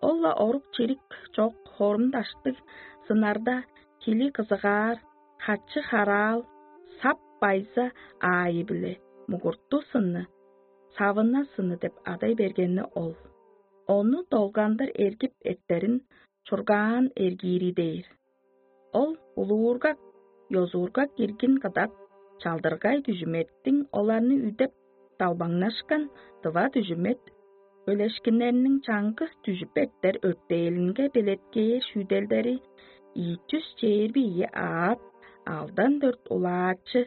Ол-ла орук-чирик чок хорум-даштыг сыннарда хили кызыгаар, хачы-хараал, сап байза аайы-биле мугурту сынны, савына сынны деп адай бергени ол. Ону долгандыр эргип эртерин чургаан эргиири дээр. Ол улуургак, ёзуургак иргин кыдат, чалдыргай дүжүметтиң оларны үдеп далбаңнашкан дыва дүжүмет өлешкиннерниң чаңгыс дүжүп эртер өртээлинге белеткээр шүүделдери ийи чүс чээрби ийи аът, алдан дөрт улаачы,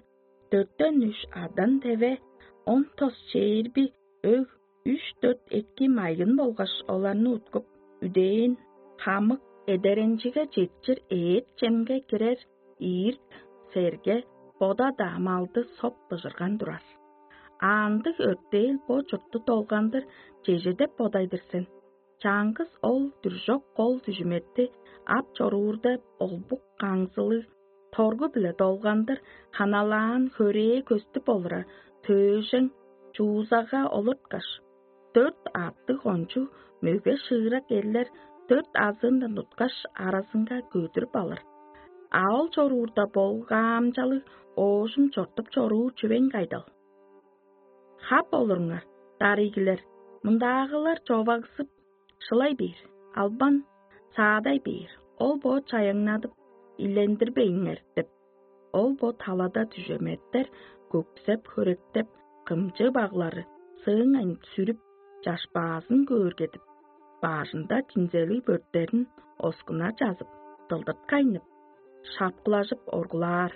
дөртен үш адан теве, он тос чээрби өг, үш-дөрт эки майгын болгаш оларны уткуп, үдээн, хамык, эдеренчиге четчир эът-чемге кирер ийирт, серге, бода-даа малды соп быжырган турар. А ындыг өртээл бо чуртту долгандыр чеже деп бодайдыр сен? Чаңгыс ол дүржок кол дүжүметти ап чоруурда олбук каңзылыг торгу-биле долгандыр ханалаан хөрээ көстүп олура төөжең чуузага олурткаш, Дөрт аъттыг кончуг мөге шыырак эрлер дөрт азыындан туткаш, аразынга көдүрүп алыр. А ол чоруурда болгаамчалыг оожум чортуп чоруур чүвең кайдал? Хап олуруңар, дарыйгилер, мындаагылар човагзып шылай бээр, албан саадай бээр, ол бо чаяңнадып, илендирбейиңер деп. Ол бо талада дүжеметтер көксеп-хөректеп, кымчы баглары сыыңайн сүрүп, чашпаазын көөргедип, баажында чинзелиг бөрттерин оскуна чазып, дылдырткайнып, шапкылажып оргулаар.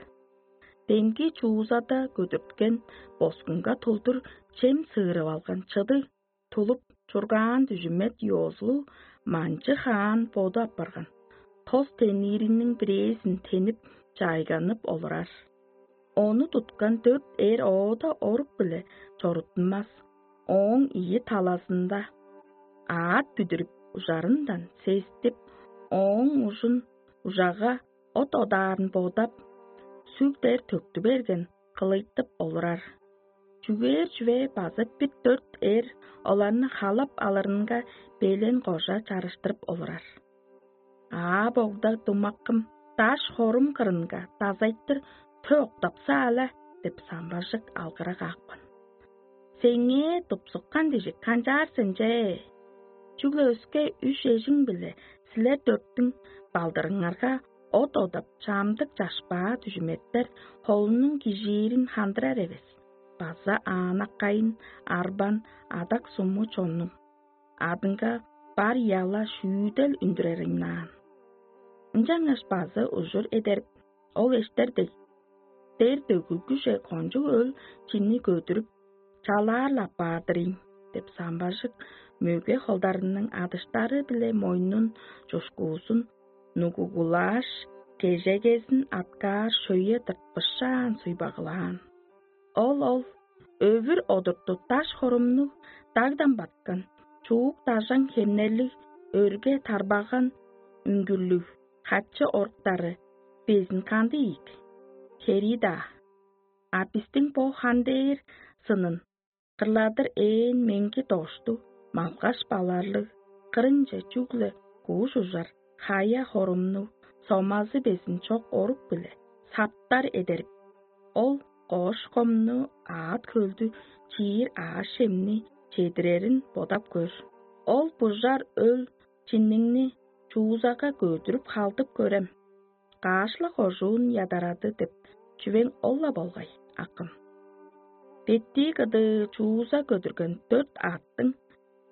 Демги чуузада көдүрткен боскунга тулдур чем сыырып алган чыдыг тулуп чургаан дүжүмет ёозулу манчы хаан боду апарган. Тос тенириниң бирээзин тенип, чайганып олурар. Ону туткан дөрт эр оода орук-биле чорудунмас. Ооң ийи талазында аът бүдүрүп, ужарындан сестип, ооң ужун ужага от одаарын бодап, сүгдер төктү берген кылыйтып олурар. Чүгээр чүве база бир дөрт эр оларны халап алырынга белен кожа чарыштырып олурар. Аа, богда думаккым, даш хорум кырынга дазайтыр тө октапса-ла деп самбажык алгыра каапкан. Сеңээ тупсуккан дижик канчаар сен че? Чүгле өске үш эжиң-биле силер дөрттүң балдырыңарга от одап, чамдык чашпаа дүжүметтер холунуң кижиирин хандырар эвес, база аанаккайын арбан адак суму чоннуң адынга бар яла шүүдел үндүрер ыйнаан. Ынчангаш база ужур эдерип, ол эштер дег, дер дөгүлгүже кончуг өл чинни көдүрүп, чалаар-ла апаар-дыр ийин деп самбажык мөге холдарының адыштары-биле мойнун чушкуузун нугугулааш, кежегезин аткаар шөйе тыртпышаан суйбагылаан. Ол ол өвүр одурту даш хорумнуг дагдан баткан, чуук дажаң хемнерлиг, өрге тарбаган үңгүрлүг хачы оруктары безин кандыг ийик? Херии-даа. А бистиң бо хан дээр сынын кырладыр ээн меңги доштуг, малгаш баларлыг, кырынче чүгле кууш ужар, хая хорумнуг, сомазы безин чок орук-биле саптар эдерип, ол коош-комну, аът-хөлдү чиир аъш-чемни чедирерин бодап көр. Ол бужар өл чинниңни чуузага көдүрүп халдып көрем. Каш-ла кожуун ядарады деп чүвең ол-ла болгай, акым. Беттии кыдыы чууза көдүрген дөрт аъттың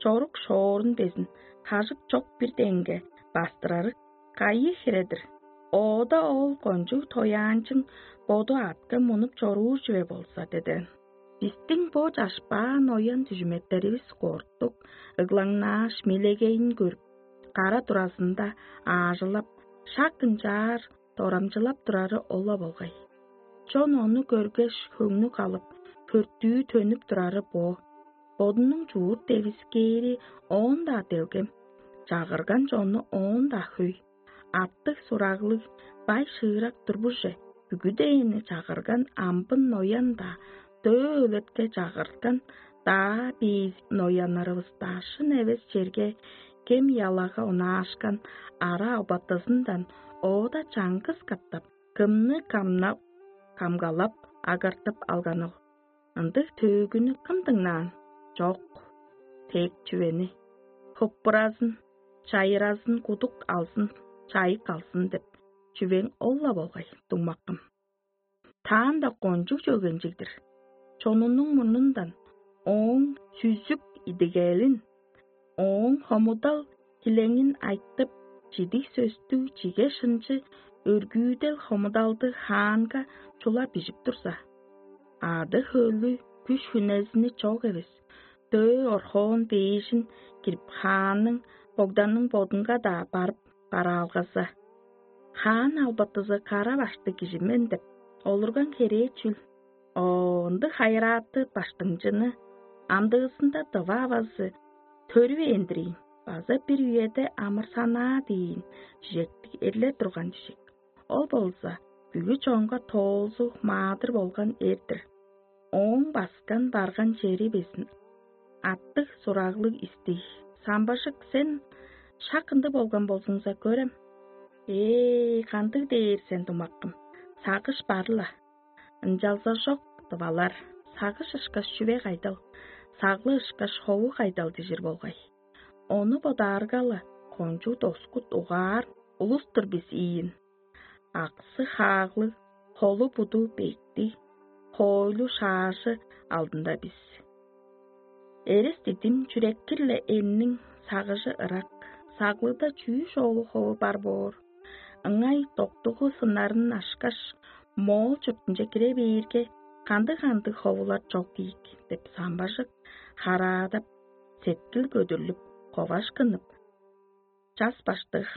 чорук шоорун безин хажык чок бир деңге бастырары кайы хире-дир? Оода ол кончуг тояанчың боду аътка мунуп чоруур чүве болза, деден. Бистиң бо чашпаан оян дүжүметтеривис кортук, ыглаңнааш, мелегейин көрүп, кара туразында аажылап, шак ынчаар дорамчылап турары ол-ла болгай. Чон ону көргеш, хөңнү калып, хөртүү төнүп турары бо. Бодунуң чуут девискээри оон-даа делгем, чагырган чонну оон-даа хөй. Аттыг-сураглыг, бай-шыырак турбуже, бүгүдээни чагырган амбын ноян-даа, дөө өлетке чагырткан даа бээзик нояннарывыс-даа шын эвес черге кем-ялага онаашкан ара албатызындан оода чаңгыс катап кымны камнап, камгалап, агартып алганыл? Ындыг төөгүнү кым дыңнаан? Чок. Тег чүвени: «Хыппыразын, чайыразын кудук алзын, чайык алзын» деп чүвең ол-ла болгай, дуңмаккым. Таанда кончуг чөгенчиг-дир. Чонунуң мурнундан ооң сүзүк идигелин, ооң хомудал килеңин айтып, чидиг сөстүг чиге шынчы өргүүдел хомудалды хаанга чула бижип турза, ады-хөлү, күш-хүнезини чок эвес, дөө орхоон дээжин кирип, хаанның, богданның бодунга-даа барып бараалгаза, хаан албатызы кара башты кижи мен деп олурган херээ чүл? О, ындыг хайырааты баштыңчыны амдыызында дыва авазы төрүвээн-дир ийин база бир үеде амырсанаа диин чижектиг эрлер турган чижек. Ол болза бүгү чонга тоолзуг маадыр болган эр-дир. Ооң баскан барган чери безин аттыг сураглыг истий. Самбажык, сен шак ындыг болган болзуңза көрем. Ээ, кандыг дээр сен, думаккым, сагыш бар-ла. Ынчалза чок дывалар, сагыш ышкаш чүве кайдал, саглы ышкаш хову кайдал дижир болгай. Ону бодаарга-ла, кончуг доскут угаар улус-тур бис ийин. Аксы-хааглыг, холу-буду бектиг, хоойлу-шаажы алдында бис. Эрес дидим чүрек-кирле энниң сагыжы ырак, саглыда чүү шоолу хову бар боор. Ыңай доктугу сыннарын ашкаш, моол чуртунче кире бээрге, кандыг-кандыг ховулар чок ийик деп самбажык, хараадап, сеткил көдүрлүп, ковашкынып, час баштыг,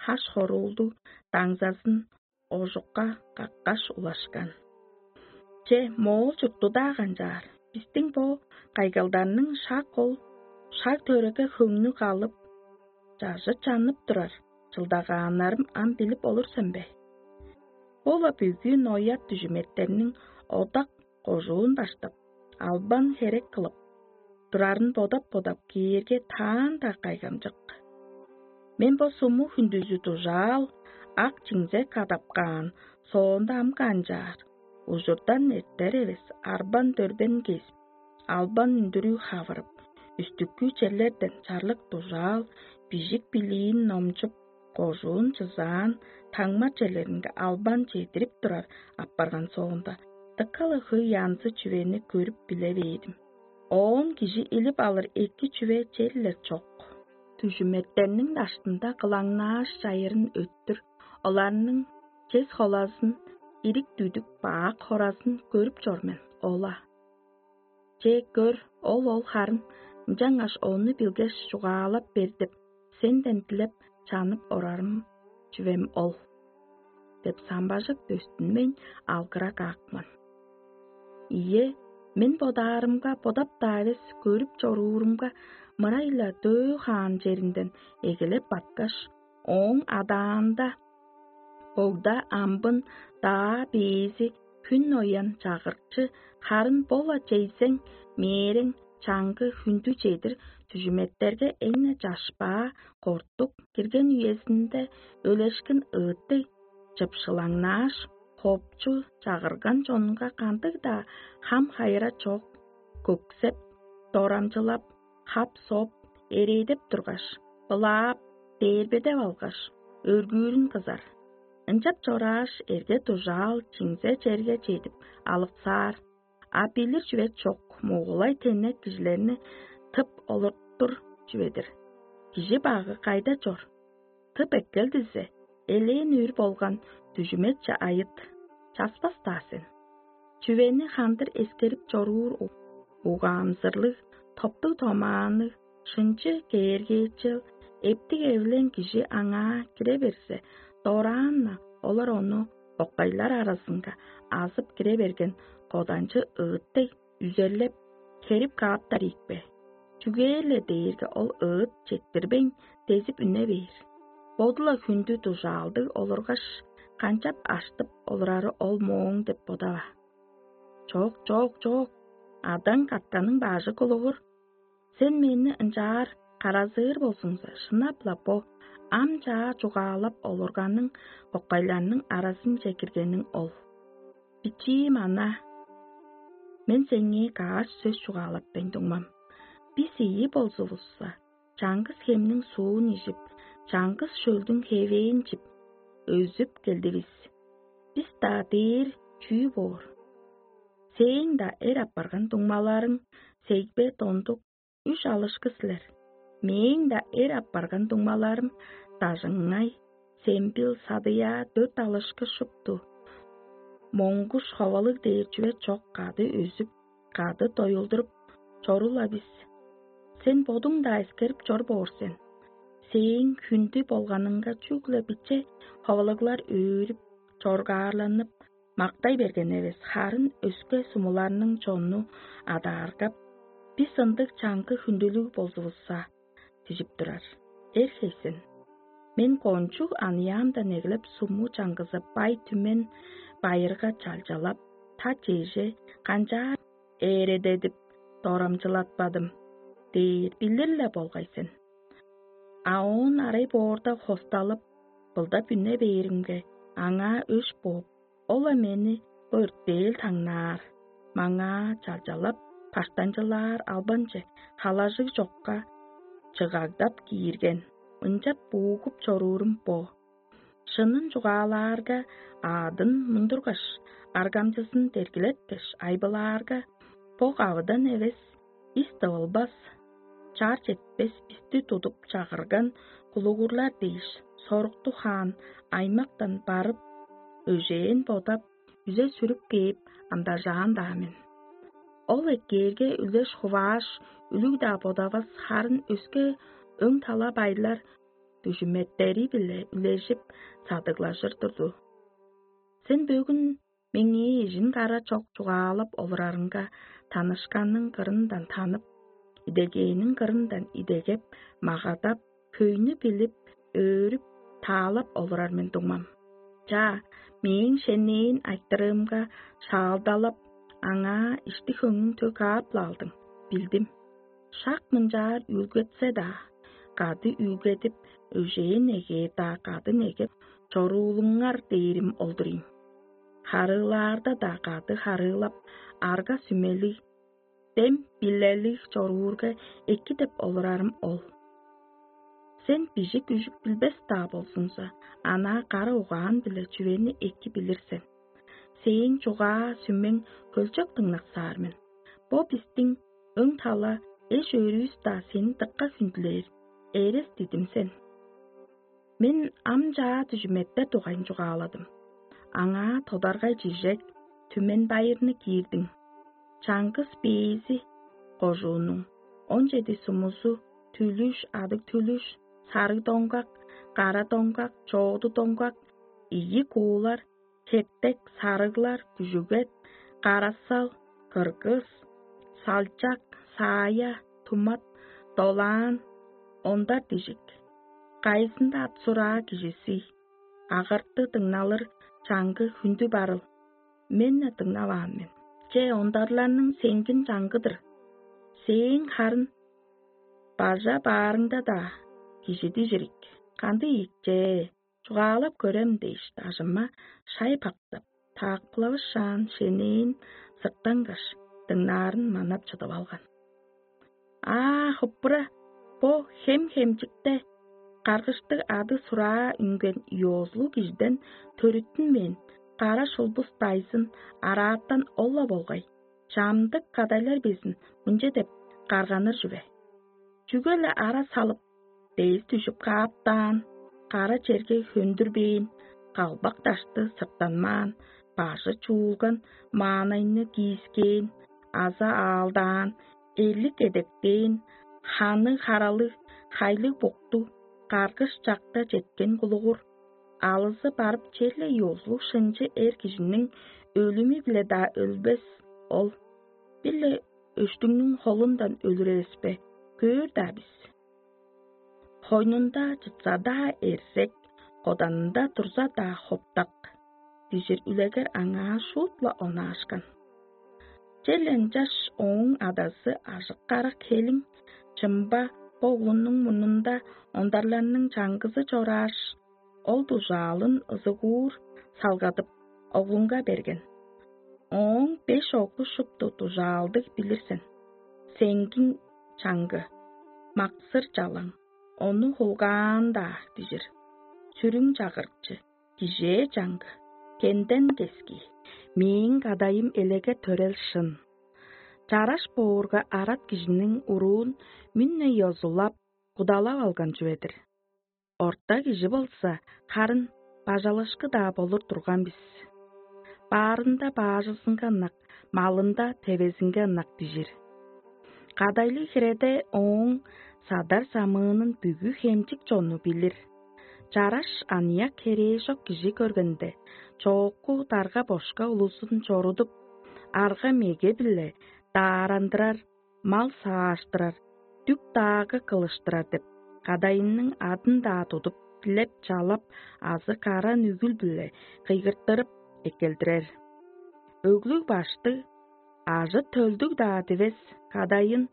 хаш хоруулдуг даңзазын ожукка каккаш улашкан. Че, моол чуртту-даа канчаар, бистиң бо кайгалдарның шак ол шаг төреге хөңнү калып, чажы чанып турар чылдагааннарым ам билип олур сен бе? Бо-ла бүгү нояр дүжүметтерниң одак кожуун баштап, албан херек кылып турарын бодап-бодап кээрге, таанда кайгамчык. Мен бо суму хүндүзү дужаал, ак чиңзе кадап каан соонда ам канчаар, ужурдан эртер эвес арбан дөрбен кезип, албан үндүрүү хавырып, үстүккү черлерден чарлык дужаал, бижик билиин номчуп, кожуун чызаан, таңма черлеринге албан чедирип турар апарган соонда, дыка-ла хөй янзы чүвени көрүп биле бээдим. Оон кижи илип алыр эки чүве черле чок. Дүжүметтерниң даштында кылаңнааш чайырын өттүр, оларның чес холазын, ирик-дүдүк баак хоразын көрүп чор мен, ола. Че, көр, ол-ол харын, ынчангаш ону билгеш, чугаалап бер деп, сенден дилеп чанып орарым чүвем ол» — деп, самбажык дөстүнмейн алгыра каапкан. Ийе, мен бодаарымга, бодап-даа эвес, көрүп чоруурумга, мырай-ла дөө хаан черинден эгелеп баткаш, ооң адаанда богда амбын даа бээзи хүн оян чагырыкчы, харын бо-ла чейзең, мээрең, чаңгы хүндү чедир дүжүметтерге эң-не чашпаа, кортук кирген үезинде өлешкин ыыттыг чыпшылаңнааш, хопчу чагырган чонунга кандыг-даа хам-хайыра чок, көксеп, дорамчылап, хап-соп, эрээдеп тургаш, былаап, дээрбедеп алгаш, өргүүрүн кызар. Ынчап чорааш, эрге-дужаал чиңзе черге чедип алыксаар. А билир чүве чок, мугулай теннек кижилерни тып олуртур чүве-дир. Кижи багы кайда чор? Тып эккел дизе, элээн үр болган дүжүметче айыт, часпас-даа сен. Чүвени хандыр эскерип чоруур у-, угаамзырлыг, топтуг-томаанныг, шынчы кээргээчел, эптиг-эвилең кижи аңаа кире берзе, дораан-на олар ону боккайлар аразынга азып кире берген коданчы ыыт дег, үзерлеп, херип кааптар ийик бе? Чүгээр-ле дээрге ол ыыт четтирбейн, дезип үне бээр. Боду-ла хүндү дужаалдыг олургаш, канчап аштып олурары ол мооң деп бодава. Чок, чок, чок, адаң катканың бажы кулугур. Сен мени ынчаар каразыыр болзуңза, шынап-ла бо ам чаа чугаалап олурганың кокайларның аразынче киргениң ол. Бичиим ана, мен сеңээ каш сөс чугаалап мен, дуңмам. Бис ийи болзувусса, чаңгыс хемниң суун ижип, чаңгыс шөлдүң хевээн чип, өзүп келдивис. Бис-даа дээр чүү боор? Сээң-даа эр апарган дуңмаларың сегбе дондук, үш алышкы силер. Мээң-даа эр апарган дуңмаларым дажыңай, сембил, садыяа, дөрт алышкы шупту. Моңгуш ховалыг дээр чүве чок, кады өзүп, кады доюлдуруп чорул-ла бис. Сен бодуң-даа эскерип чор боор сен. Сээң хүндү болганыңга чүгле биче ховалыглар өөрүп, чоргаарланып, мактай берген эвес, харын өске сумуларның чонну адааргап, бис ындыг чаңгы хүндүлүг болзувусса, дижип турар. Эр хейсен, мен кончуг аныяамдан эгелеп суму чаңгызы бай түмен байырга чалчалап, та чеже канчаар ээредедип дорамчылатпадым. бээр билир-ле болгай сен. А оон арай боорда хосталып, былдап үне бээримге, аңаа өш бооп, ол-ла мени бо өртээл таңнаар, маңаа чалчалап, баштанчылаар албанче халажыг чокка чыгагдап киирген, ынчап буугуп чоруурум бо. Шынын чугаалаарга, аъдын мундургаш, аргамчызын дергилеткеш, айбылаарга, бо кавыдан эвес, ис тывылбас, чаар четпес бисти тудуп чагырган кулугурлар дээш, сорукту хаан аймактан барып, өжээн бодап, үзе сүрүп кээп, амдажаан-даа мен. Ол эккээрге үлеш-хувааш, үлүг-даа бодавас, харын өске өң-тала байлар дүжүметтери-биле үлежип, садыглажыр турду. Сен бөгүн меңээ эжин-кара чок чугаалап олурарынга, танышканның кырындан танып, идегээниң кырындан идегеп, магадап, хөйнү билип, өөрүп, таалап олурар мен, дуңмам. Чаа, мээң шенээн айтырыымга шаалдалап, аңаа ишти-хөңнүң төк каап-ла алдың, билдим. Шак мынчаар үүлгетсе-даа, кады үүлгедип, өжээн эгээ-даа кады негеп чоруулуңар дээрим ол-дур ийин. Харыылаарда-даа кады харыылап, арга-сүмелиг, дем-билелиг чоруурга эки деп олурарым ол. Сен бижик-үжүк билбес-даа болзуңза, анаа кара угаан-биле чүвени эки билир сен. Сээң чугаа-сүмең хөлчок дыңнаксаар мен. Бо бистиң өң-тала эш-өөрүвүс-даа сени дыка хүндүлээр, эрес дидим сен. Мен ам чаа дүжүметтер дугайын чугааладым. Аңаа тодаргай чижек, түмен байырны киирдиң. Чаңгыс бээзи кожуунуң, он чеди сумузу, түлүш, адыг түлүш, сарыг доңгак, кара доңгак, чооду доңгак, ийи куулар, хептек, сарыглар, күжүгет, карасал, кыргыс, салчак, саая, тумат, долаан, ондар дижик. Кайызында ат-сураа кижизи, агырты дыңналыр чаңгы хүндү барыл. Мен-не дыңнаваан мен. Че, ондарларның сеңгин чаңгы-дыр. Сээң харын бажа баарыңда-даа кижи дижирик. Кандыг ийик че? Чугаалап көрем дээш, дажыма шай бактап, таакпылавышаан шенээн сырттангаш, дыңнаарын манап чыдып алган. Аа, хыппыра, бо хем-хемчикте каргыштыг ады-сураа үнген ёзулуг кижиден төрүттүнмээн, кара шулбус дайзын араатан ол-ла болгай, чамдык кадайлар безин мынча деп карганыр чүве: чүге-ле ара салып, бээр дүжүп кааптаан, кара черге хөндүрбээн, калбак дашты сырттанмаан, бажы чуулган маанайны киискээн аза аалдаан, эрлик эдектээн, ханы харалыг, хайлыг буктуг, каргыш чакта четкен кулугур, алызы барып черле ёзулуг шынчы эр кижиниң өлүмү-биле-даа өлбес ол, бир-ле өштүңнүң холундан өлүр эвес бе? Көөр-даа бис. Хойнунда чытса-даа эрзек, коданында турза-даа хоптак, дижир үлегер аңаа шуут-ла онаашкан. Черле ынчаш ооң адазы ажык-карак хелиң чымба бо оглунуң мурнунда ондарларның чаңгызы чорааш, ол дужаалын ызыгуур салгадып, оглунга берген. Ооң беш оглу шупту дужаалдыг билир сен. Сеңгиң чаңгы, максыр чалаң, ону хулгаан-даа дижир. Сүрүң чагырыкчы, кижээ чаңгы, кенден кески. Мээң кадайым элеге төрел шын. Чараш боорга арат кижиниң уруун мүн-не ёзулап, кудалап алган чүве-дир. Орта кижи болза, харын бажалышкы-даа болур турган бис. Баарында баажызынга ынак, малында тевезинге ынак дижир. Кадайлыг хиреде ооң садар-самыынын бүгү хемчик чонну билир. Чараш аныяк херээжок кижи көргенде, чоокку дарга-бошка улузун чорудуп, арга-меге-биле даарандырар, мал сааштырар, дүк-даагы кылыштырар деп, кадайының адын-даа тудуп, дилеп-чалап азы каран үгүл-биле кыйгыртырып эккелдирер. Өглүг-баштыг, ажы-төлдүг-даа дивес кадайын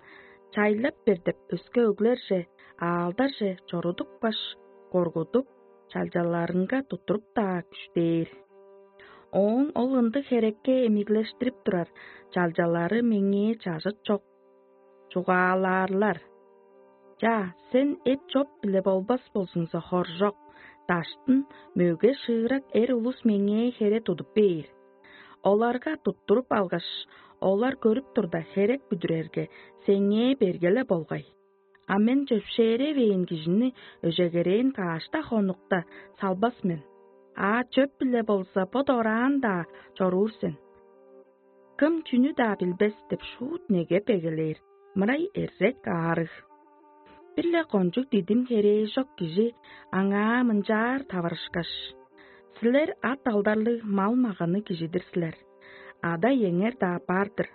чайлап бер деп өске өглерже, аалдарже чорудупкаш, коргудуп, чалчаларынга туттуруп-даа күштээр. Ооң ол ындыг херекке эмиглештирип турар чалчалары меңээ чажыт чок. Чугаалаарлар: «Чаа, сен эп-чоп-биле болбас болзуңза, хоржок, даштын мөге шыырак эр улус меңээ хере тудуп бээр. Оларга туттуруп алгаш, олар көрүп турда, херек бүдүрерге, сеңээ берге-ле болгай. А мен чөпшээревээн кижини өжегерээн каш-даа хонукта салбас мен. А чөп-биле болза, бо дораан-даа чоруур сен. Кым чүнү-даа билбес деп шуут негеп эгелээр, мырай эрзек аарыг». Бир-ле кончуг дидим херээжок кижи аңаа мынчаар таварышкаш: «Силер ат алдарлыг мал-маганы кижи-дир силер. Ада-иеңер-даа бар-дыр,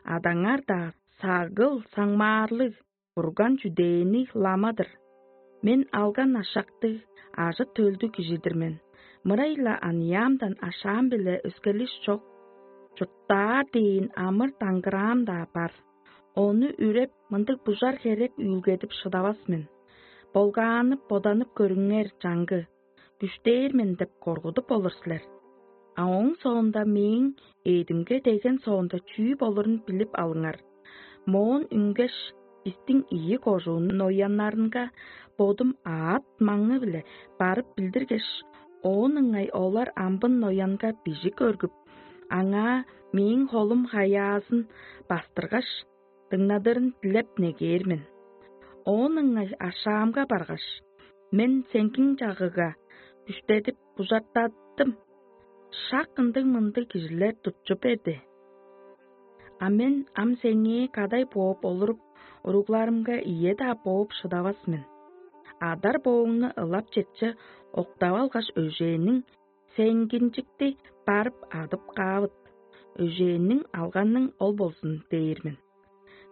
адаңар-даа сагыл-саңмаарлыг, бурган чүдээни лама-дыр. Мен алган ашактыг, ажы-төлдүг кижи-дир мен. Мырай-ла аныяамдан ашаам-биле өскерлиш чок. Чурттаар дээн амыр-даңгыраам-даа бар. Ону үреп, мындыг бужар херек үүлгедип шыдавас мен. Болгаанып, боданып көрүңер, чаңгы, күштээр мен деп коргудуп болур силер. А ооң соонда мээң эъдимге деген соонда чүү болурун билип алыңар. Моон үнгеш, бистиң ийи кожууннуң нояннарынга бодум аът-маңы-биле барып билдиргеш, оон ыңай олар амбын ноянга бижик өргүп, аңаа мээң холум хаяазын бастыргаш, дыңнадырын дилеп негээр мен. Оон ыңай ашаамга баргаш, мен сеңгиң чагыга күштедип бужартаттым. Шак ындыг-мындыг кижилер тутчу берди. А мен ам сеңээ кадай бооп олуруп, уругларымга ийе-даа бооп шыдавас мен. Адар-бооңну ылап четче октап алгаш, өжээниң сеңгинчикти барып адып каавыт. Өжээниң алганың ол болзун дээр мен.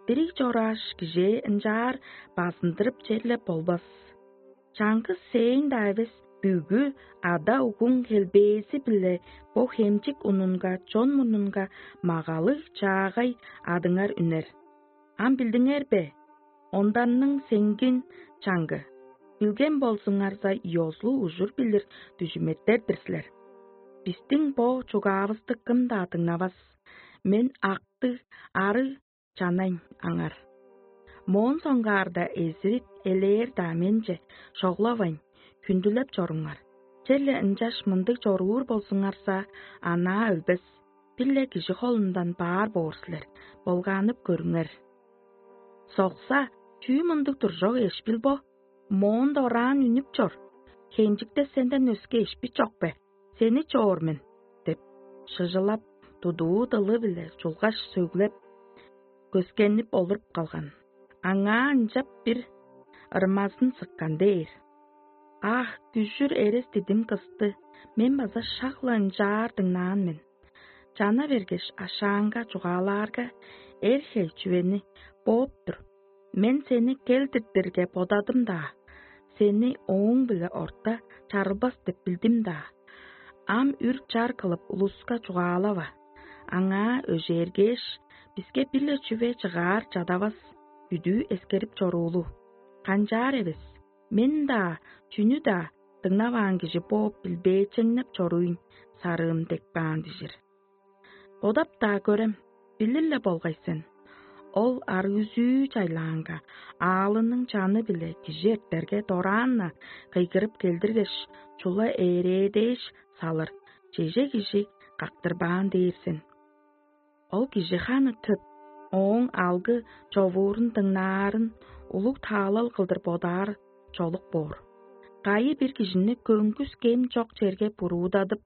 Дириг чорааш, кижээ ынчаар базындырып черле болбас. Чаңгыс сээң-даа эвес, бүгү ада-угуң хелбээзи-биле бо хемчик унунга, чон мурнунга магалыг-чаагай адыңар үнер. Ам билдиңер бе? Онданның сеңгин чаңгы. Билген болзуңарза, ёзулуг ужур билир дүжүметтер-дир силер. Бистиң бо чугаавысты кым-даа дыңнавас. Мен актыг, арыг чанайн аңар. Моон соңгаарда эзирик элээр-даа менче шоглавайн, хүндүлеп чоруңар. Черле ынчаш мындыг чоруур болзуңарза, анаа өлбес, бир-ле кижи холундан баар боор силер, болгаанып көрүңер. Сокса, чүү мындыг туржок эшпил бо? Моон дораан үнүп чор. Хенчикте сенден өске эшпи чок бе? Сени чоор мен, — деп, шыжылап, тудуу дылы-биле чулгаш сөглеп, көскенип олуруп калган. Аңаа ынчап бир ырмазын сыккан дээр. Ах, күжүр эрес дидим кысты, мен база шак-ла ынчаар дыңнаан мен. Чана бергеш, ашаанга чугаалаарга, эр-хей чүвени бооп тур. Мен сени кел-диртирге бодадым-даа, сени ооң-биле орта чарылбас деп билдим-даа. Ам үр-чар кылып улуска чугаалава. Аңаа өжээргээш, биске бир-ле чүве чыгаар чадавас, бүдүү эскерип чоруулу. Канчаар эвес, мен-даа, чүнү-даа дыңнаваан кижи бооп билбээчеңнеп чоруйн сарыым деп каан дижир. Бодап-даа көрем, билир-ле болгай сен. Ол арыызүү чайлаанга, аалының чаны-биле кижи эртерге дораан-на кыйгырып келдиргеш, чула ээрээдээш салыр, чеже кижи кактырбаан дээр сен. Ол кижи ханы төп, ооң алгы човуурун дыңнаарын улуг таалал кылдыр бодаар чолук боор. Кайы-бир кижини көңгүс кем чок черге буруудадып: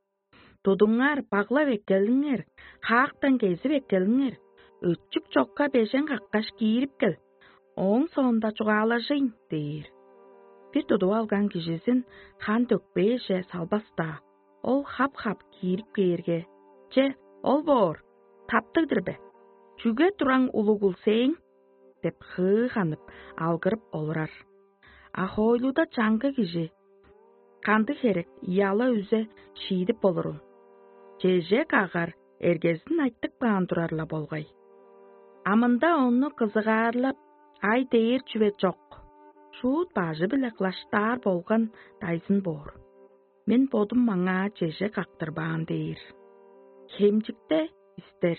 «Тудуңар, баглап эккелиңер, хаактан кезип эккелиңер, өчүк чокка бежен каккаш киирип кел, ооң соонда чугаалажыйн» — дээр. Бир тудуп алган кижизин хан дөкпээже салбас-даа, ол хап-хап киирип кээрге: «Че, ол боор, таптыг-дыр бе? Чүге тураң улугул сээң?» — деп хыы ханып, алгырып олурар. А хоойлуда чаңгы кижи кандыг херек, яла-үзе шиидип болурул? Чеже кагар эргезин айтып каан турар-ла болгай. А мында ону кызыгаарлап, Ай дээр чүве чок. Шуут бажы-биле кылаштаар болган дайзын боор. Мен бодум маңаа чеже кактырбаан дээр. Хемчикте истер.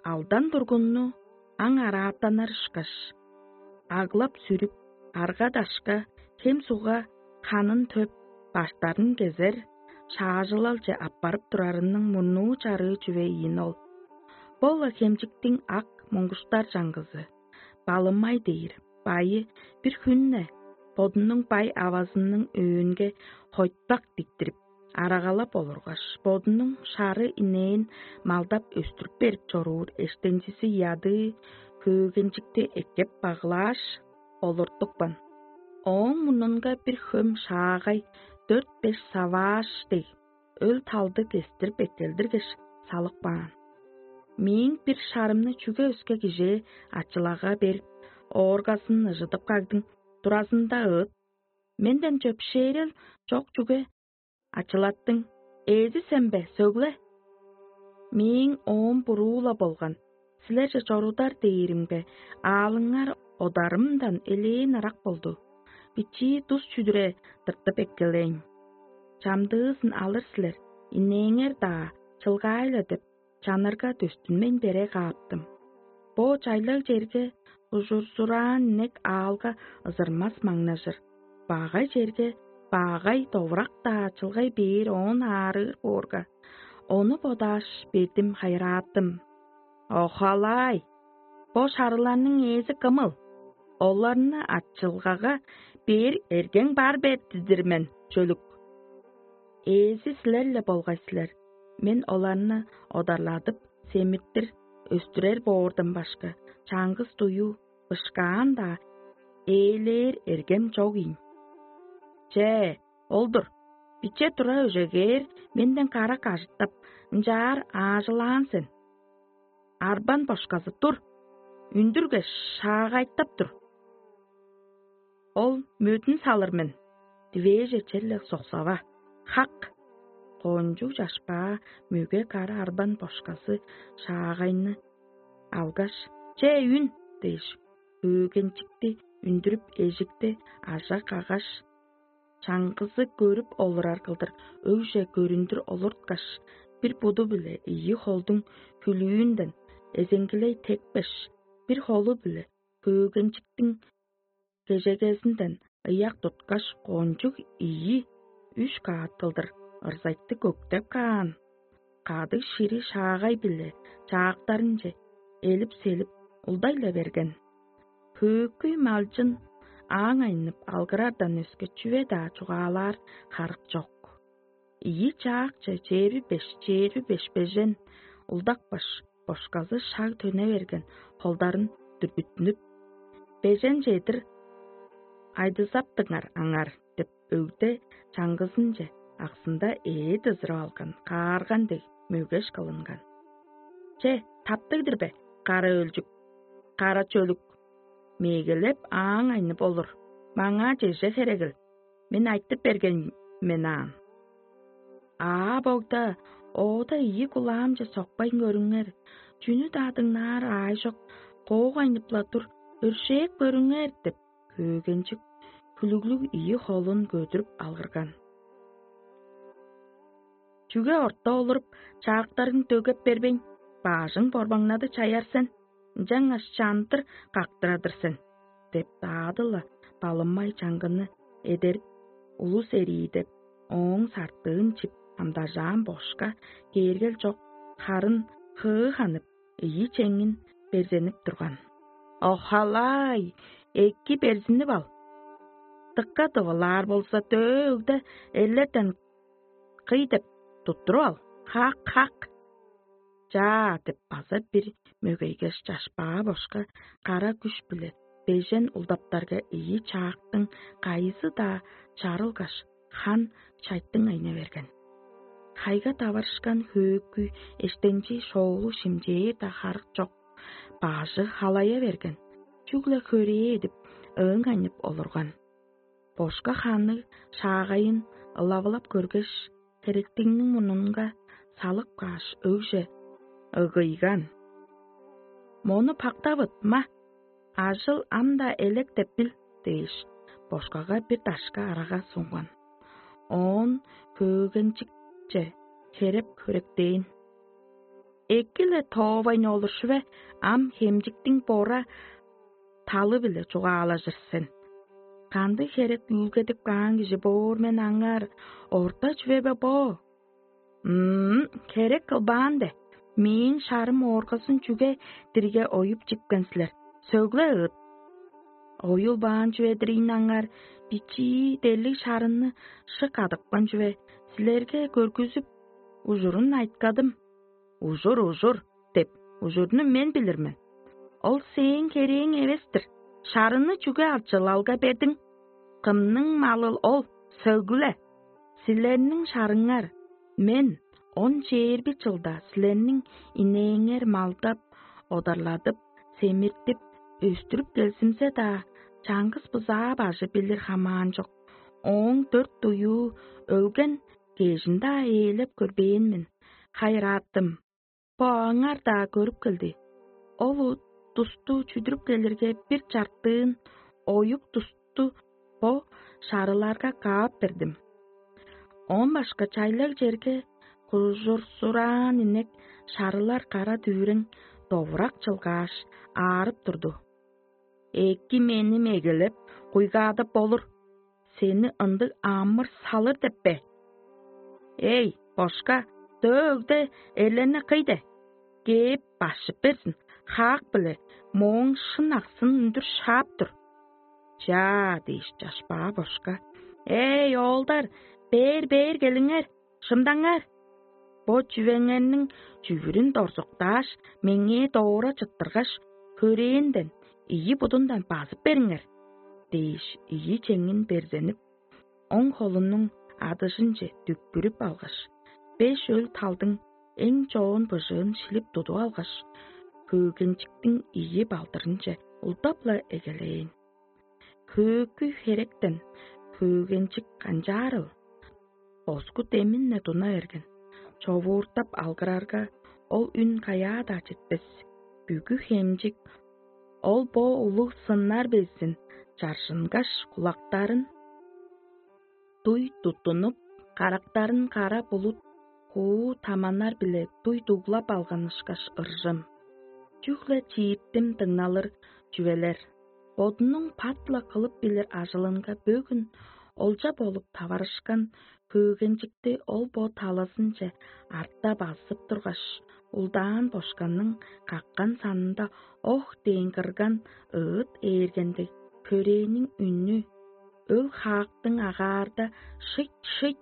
Алдан тургунну аң араатанар ышкаш, аглап-сүрүп, арга-дашка, хем-сугга ханын төп, баштарын кезер, шаажылалче аппарып турарының мурнуу чарыы чүве ийин ол. Бо-ла хемчиктиң ак муңгуштар чаңгызы, балымай дээр, байы бир хүнне бодунуң бай авазының өөнге хойтпак диктирип, арагалап олургаш, бодунуң шары инээн малдап өстүрүп берип чоруур эштенчизи ядыы хөөгенчикти эккеп баглааш, олуртупкан. Ооң мурнунга бир хөм шаагай дөрт-беш савааш дег, өл талды кестирип эккелдиргеш, салып каан. Мээң бир шарымны чүге өске кижээ ачылага берип, ооргазын ыжыдып кагдың, туразында ыыт. Менден чөпшээрел чок чүге ачылаттың, ээзи сен бе, сөгле? Мээң оом буруу-ла болган, силерже чорудар дээримге, аалыңар одарымдан элээн ырак болду. Бичии тус чүдүре тыртып эккелейн. Чамдыызын алыр силер, инээңер-даа чылгаай-ла деп, чанырга дөстүнмейн бере кааптым. Бо чайлаг черге ужурзураан инек аалга ызырмас маңнажыр. Багай черге багай довурак-даа чылгай бээр оон аарыыр боорга, ону бодааш, бедим хайырааттым. Охалаай! Бо шарыларның ээзи кымыл? Оларны ачылгага бээр эргең бар бе дидир мен, чөлүк. Ээзи силер-ле болгай силер. Мен оларны одарладып, семиртир, өстүрер боордан башка, чаңгыс дуюу, бышкаан-даа ээлээр эргем чок ийин. Че, ол-дур, биче тура өжегээр менден карак ажыттап, ынчаар аажылаан сен. Арбан бошказы тур, үндүрге шаагайтап тур. Ол мөдүн салыр мен, дивээже черле соксава. Хак! Кончуг чашпаа мөге кара арбан бошказы шаагайны алгаш, че үн дээш, хөөгенчикти үндүрүп, эжикти ажа каггаш, чаңгызы көрүп олурар кылдыр өгже көрүндүр олурткаш, бир буду-биле ийи холдуң хүлүүнден эзеңгилей тепкеш, бир холу-биле хөөгенчиктиң кежегезинден ыяк туткаш, кончуг ийи үш каат кылдыр ырзайтты көктеп каан. Кадыг шири шаагай-биле чаактарынче элип-селип улдай-ла берген. Хөөкүй малчын ааң айнып алгырардан өске чүве-даа чугаалаар харык чок. Ийи чаакчы чээрби беш, чээрби беш бежен улдакпаш, бошказы шаг төне берген холдарын дүргүттүнүп: «Бежен чедир айдызаптыңар аңар» — деп, өгде чаңгызынче аксында ээ дызырып алган каарган дег мөгеш кылынган. «Че, таптыг-дыр бе, кара өлчүк, кара чөлүк? Мегелеп ааң айнып олур, маңаа чеже херегил, мен айтып берген мен аан». Аа богда, оода ийи кулаамче сокпайн көрүңер, чүнү-даа дыңнаар аай чок, коок айнып-ла тур, өршээп көрүңер деп, хөөгенчик хүлүглүг ийи холун көдүрүп алгырган. «Чүге орта олуруп, чаактарың дөгеп бербейн, баажың борбаңнады чаяр сен, ынчангаш чандыр кактырадыр сен» — деп, даады-ла балымай чаңгыны эдерип, улус эрии деп, ооң сартыын чип амдажаан бошка кээргел чок, харын хыы ханып, ийи чеңин берзенип турган. «Охалай, эки берзинип ал. Дыка дывылаар болза, дөө өгде эрлерден кый деп туттуруп ал. Хак, хак!» «Чаа» — деп, база бир мөгейгеш, чашпаа бошка кара күш-биле бежен улдаптарга ийи чаактың кайызы-даа чарылгаш, хан чайтың айна берген. Хайга таварышкан хөөкүй эштенчи шоолу шимчээр-даа харык чок, бажы халая берген, чүгле хөрээ эдип, ыың айнып олурган. Бошка ханныг шаагайын ылавылап көргеш, херектиңниң мурнунга салып кааш, өгже ыгыйган: «Мону пактавыт, ма! Ажыл ам-даа элек деп бил» – дээш, бошкага бир дашка арага сунган. Оон хөөгенчикче херек хөректээн: «Эки-ле тоовайн олуршуве, ам хемчиктиң бора талы-биле чугаалажыр сен. Кандыг херек үүлгедип каан кижи боор мен аңаар, орта чүве бе бо?» «М-м, херек кылбаан бе? Мээң шарым ооргазын чүге дирге оюп чипкен силер? Сөгле ыыт. Оюлбаан чүве-дир ийин аңаар, бичии дерлиг шарынны шык адыпкан чүве, силерге көргүзүп, ужурун айткадым. Ужур, ужур деп, ужурну мен билир мен. Ол сээң херээң эвес-тир. Шарыны чүге алчылалга бердиң? Кымның малыл ол? Сөгле! Силерниң шарыңар, мен он чээрби чылда силерниң инээңер малдап, одарладып, семиртип, өстүрүп келзимзе-даа, чаңгыс бызаа бажы билир хамаан чок. Ооң дөрт дуюу өлген, кежин-даа ээлеп көрбээн мен. Хайырааттым, бо аңар-даа көрүп келди. Ол тусту чүдүрүп келирге, бир чартыын оюк тусту бо шарыларга каап бердим. Оон башка чайлаг черге кужурсураан инек шарылар кара дүвүрең довурак чылгааш, аарып турду. Эки мени мегелеп, куйгаадып болур. Сени ындыг амыр салыр деп бе? Эй, бошка, дөө өгде эрлерни кый де, кээп башып берзин, хаак-биле мооң шын аксын үндүр шаап тур. Чаа дээш, чашпаа бошка: «Эй, оолдар, бээр-бээр келиңер, шымдаңар! Бо чүвеңерниң чүвүрүн дорзуктааш, меңээ доора чыттыргаш, хөрээнден ийи будундан базып бериңер» – дээш, ийи чеңин берзенип, оң холунуң адыжынче дүкпүрүп алгаш, беш өл талдың эң чоон быжыын шилип тудуп алгаш, хөөгенчиктиң ийи балдырынче улдап-ла эгелээн. Хөөгү херектен хөөгенчик канчаарыл? Боску демин-не туна берген. Човууртап алгырарга, ол үн каяа-даа четпес. Бүгү хемчик ол бо улуг сыннар безин чаржынгаш, кулактарын дуй туттунуп, карактарын кара булут хуу таманнар-биле дуй дуглап алган ышкаш ыржым. Чүгле чииттим дыңналыр чүвелер. Бодунуң пат-ла кылып билир ажылынга бөгүн олча болуп таварышкан хөөгенчикти ол бо талазынче арта базып тургаш, улдаан бошканның каккан санында ох дээн кырган ыыт ээргенде, хөрээниң үнү, өл хаактың агаарда шыйт-шыйт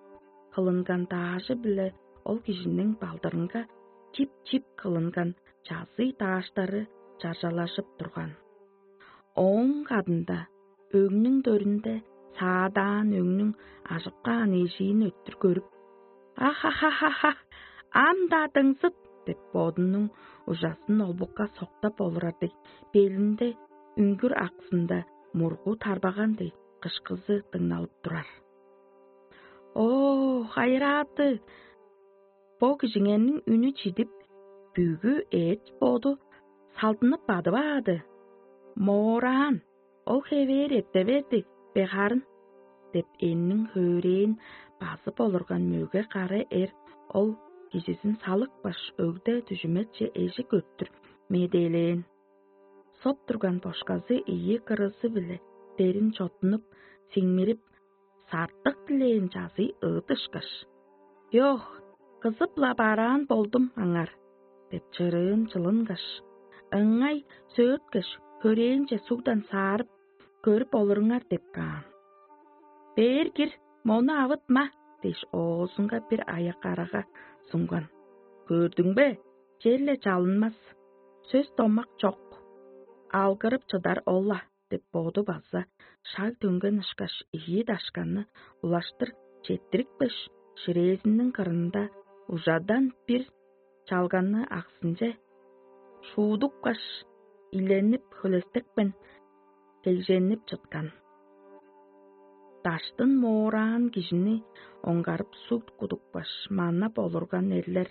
кылынган даажы-биле ол кижиниң балдырынга чип-чип кылынган чазый дааштары чаржалажып турган. Ооң кадында өңнүң дөрүнде саадаан өңнүң ажып каан эжиин өттүр көрүп: «Ах-ха-ха-ха! Ам-даа дыңзыт!» – деп, бодунуң ужасын олбукка соктап олурар дег, белинде үңгүр аксында мургу тарбаган дег кышкызы дыңналып турар. «О, хайырааты! Бо кижиңерниң үнү чидип, бүгү эът-боду салдынып бадып аады. Моораан, ол хевээр эрте берди бе харын?» – деп, энниң хөөрэээн базып олурган мөге кара эр ол кижизин салыпкаш, өгде дүжүметче эжик өттүр медээлээн. Соп турган бошказы ийи кырызы-биле дерин чоттунуп, сиңмирип, сартык дилээн чазый ыыт ышкаш: «Йох, кызып-ла бараан болдум аңар» – деп, чырыын чылынгаш, ыңай сөөрткеш, хөрээнче сугдан саарып, көрүп олуруңар деп каан. «Бээр кир, мону авытма» – дээш, оозунга бир аяк арага сунган. «Көрдүң бе, черле чалынмас, сөс-домак чок, алгырып чыдар ол-ла» – деп, боду база шаг төнген ышкаш, ийи дашканны улаштыр четтирипкеш, ширээзиниң кырында ужадан бир чалганны аксынче шуудупкаш, иленип, хөлестекпен кегженип чыткан. Даштын моораан кижини оңгарып суг кудупкаш, манап олурган эрлер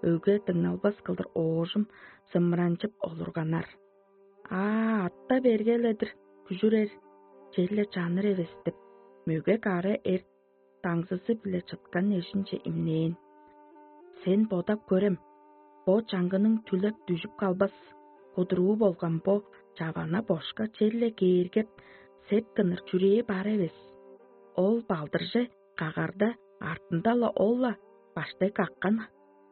өге дыңналбас кылдыр оожум сымыранчып олурганнар. аа, атта берге-ле-дир күжүрер, черле чаныр эвес деп, мөге кара эр даңзызы-биле чыткан эжинче имнээн. Сен бодап көрем, бо чаңгының түлеп дүжүп калбас, кудуруу болган бо чавана бошка черле кээргеп, сеткыныр чүрээ бар эвес. Ол балдырже кагарда, артында-ла ол-ла баштай каккан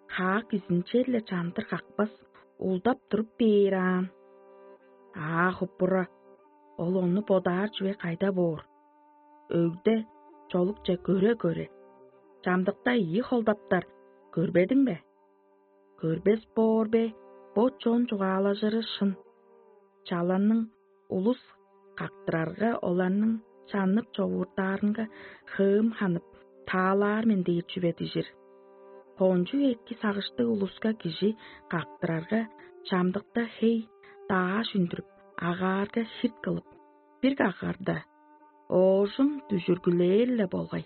хаак изинче-ле чандыр какпас, улдап туруп бээр аан. Аа, хуппура, ол ону бодаар чүве кайда боор? Өгде чолукче көре-көре, чамдыкта ийи холдаптар көрбедиң бе? Көрбес боор бе? Бо чон чугаалажыры шын. Чаланның улус кактырарга, оларның чаннып човууртаарынга хыым ханып, таалаар мен дээр чүве дижир. Кончуг эки сагыштыг улуска кижи кактырарга, чамдыкта хей дааш үндүрүп, агаарга хирт кылып, бир кагарда оожум дүжүргүлээр-ле болгай.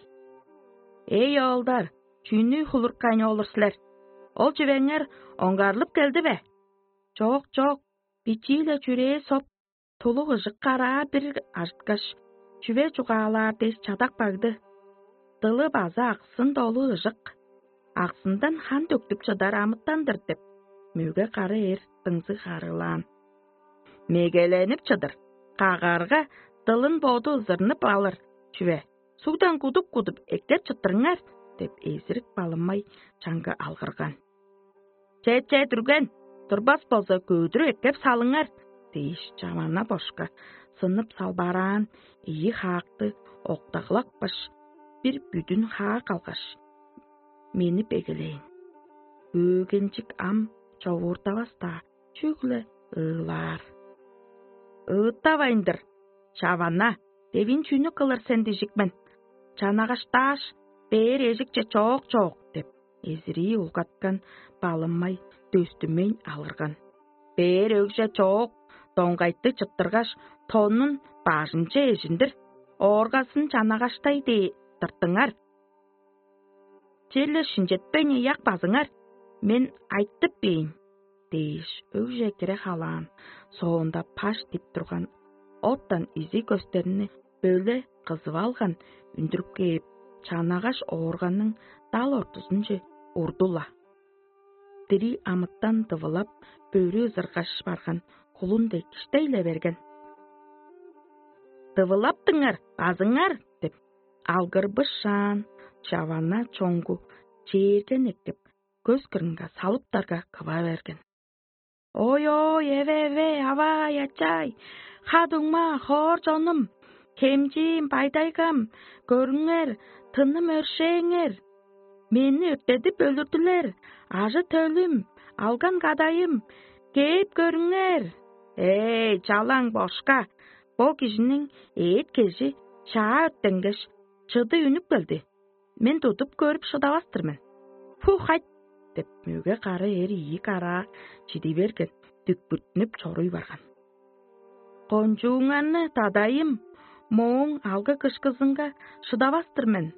Эй, оолдар, чүнү хулуркайн олур силер? Ол чүвеңер оңгарлып келди бе? Чок, чок, бичии-ле чүрээ соп, тулуг ыжык караа бир ажыткаш, чүве чугаалаар дээш чадап кагды. Дылы база аксын долу ыжык. Аксындан хан төктүп чыдар амытан-дыр деп, мөге кара эр дыңзыг харыылаан. Мегеленип чыдыр, кагарга дылын боду ызырнып алыр чүве, сугдан кудуп-кудуп эккеп чыттырыңар деп, эзирик балымай чаңгы алгырган. Че-че, дүрген, турбас болза, көөдүрүп эккеп салыңар дээш, чавана бошка сынып салбараан ийи хаакты октаглапкаш, бир бүдүн хаак алгаш, мени бегелээн. Өөгенчик ам човууртавас-даа, чүгле ыылаар. Ыыттавайн-дыр, чавана, девин чүнү кылыр сен дижик мен? Чанагаштааш, бээр эжикче чоок-чоок деп, эзирии улгаткан балымай дөстүмейн алгырган. Бээр өгже чоок доңгайтты чыттыргаш, тоннун бажынче эжиндир, ооргазын чанагаштай дээ тыртыңар. Черле шинчетпейн ыяк базыңар, мен айтып бээйн дээш, өгже кире халаан, соонда паш дип турган оттан изи көстерни бөле кызып алган үндүрүп кээп, чанагаш оорганның дал ортузунче урду-ла. Дириг амытан дывылап, бөрү ызыргаш барган кулун дег киштей-ле берген. «Дывылаптыңар, базыңар!» – деп, алгырбышаан, чавана чоңгу чээрген эккеп, көс кырынга салыптарга кыва берген. «Ой-ой, эве-эве, авай-ачай, ха-дуңма, хоор чонум, хемчиим, байдайгам, көрүңер, тыным өршээңер! Мени өрттедип өлүрдүлер, ажы-төлүм, алган кадайым, кээп көрүңер! Эй, чалаң бошка, бо кижиниң эът-кежи чаа өрттенгеш, чыды үнүп келди. Мен тудуп көрүп шыдавас-тыр мен. Пу хайт!» – деп, мөге кара эр ийи караа чиди берген, дүкпүртүнүп чоруй барган. «Кончууңарны, дадайым, мооң алгы-кышкызынга шыдавас-тыр мен.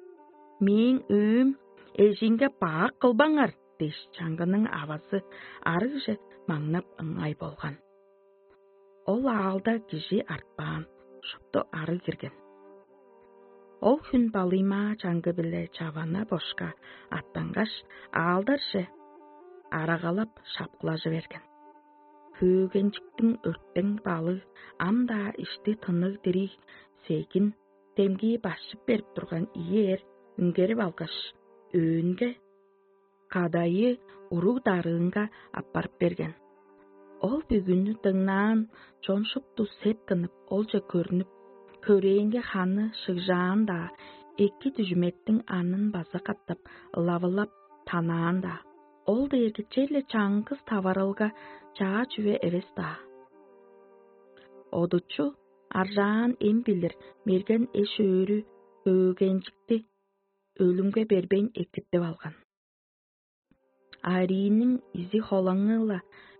Мээң өөм эжиинге бак кылбаңар» – дээш, чаңгының авазы арыгже маңнап ыңай болган. Ол аалда кижи артпаан, шупту арыг кирген. Ол хүн балыймаа чаңгы-биле чавана бошка аттангаш, аалдарже арагалап шапкылажы берген. Хөөгенчиктиң өрттең балыг ам-даа ишти тынныг дириг сегин, демги башчып берип турган ийи эр үнгерип алгаш, өөнге кадайы уруг-дарыынга аппарып берген. Ол бүгүнү дыңнаан чон шупту сеткинип, олче көрнүп, хөрээнге ханы шыгжаан-даа, эки дүжүметтиң анын база катап ылавылап танаан-даа. Ол дээрге черле чаңгыс таварылга чаа чүве эвес-даа. Одучу аржаан эм билир мерген эш-өөрү хөөгенчикти өлүмге бербейн экиртип алган. Арииниң изи-холаңы-ла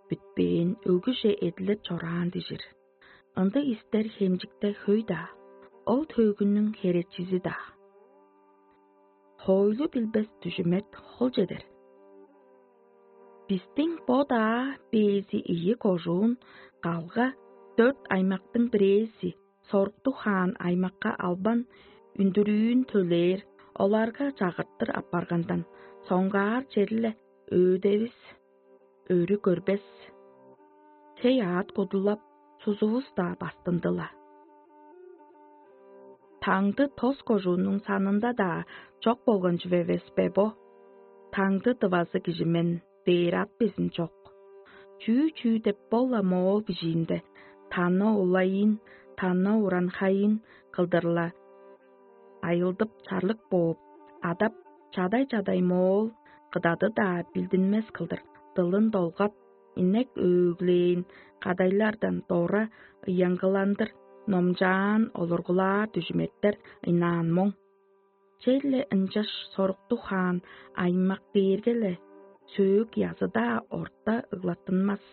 бүтпээн, өгүже эдилеп чораан дижир. Ындыг истер хемчикте хөй-даа, ол төөгүнүң херечизи-даа. Хоойлу билбес дүжүмет хол чедер. Бистиң бо-даа бээзи ийи кожуун калга Дөрт аймактың бирээзи соруктуг хаан аймакка албан үндүрүүн төлээр, оларга чагыртыр апаргандан соңгаар черле өөдевис өрү көрбес. Хей аът кудулап, сузувус-даа бастындыла. Таңды тос кожуунуң санында-даа чок болган чүве эвес бе бо? Таңды дывазы кижи мен дээр ат безин чок. Чүү-чүү деп бол-ла моол бижиинде: «Тана улайын, тана уранхайын» кылдыр-ла айылдып чарлык бооп, адап, чадай-чадай моол кыдады-даа билдинмес кылдыр дылын долгап, инек өөглээн кадайлардан дора ыянгыландыр номчаан олургулаар дүжүметтер ынаан моң. Черле ынчаш соруктуг хаан аймак дээрге-ле сөөк язы-даа орта ыглаттынмас.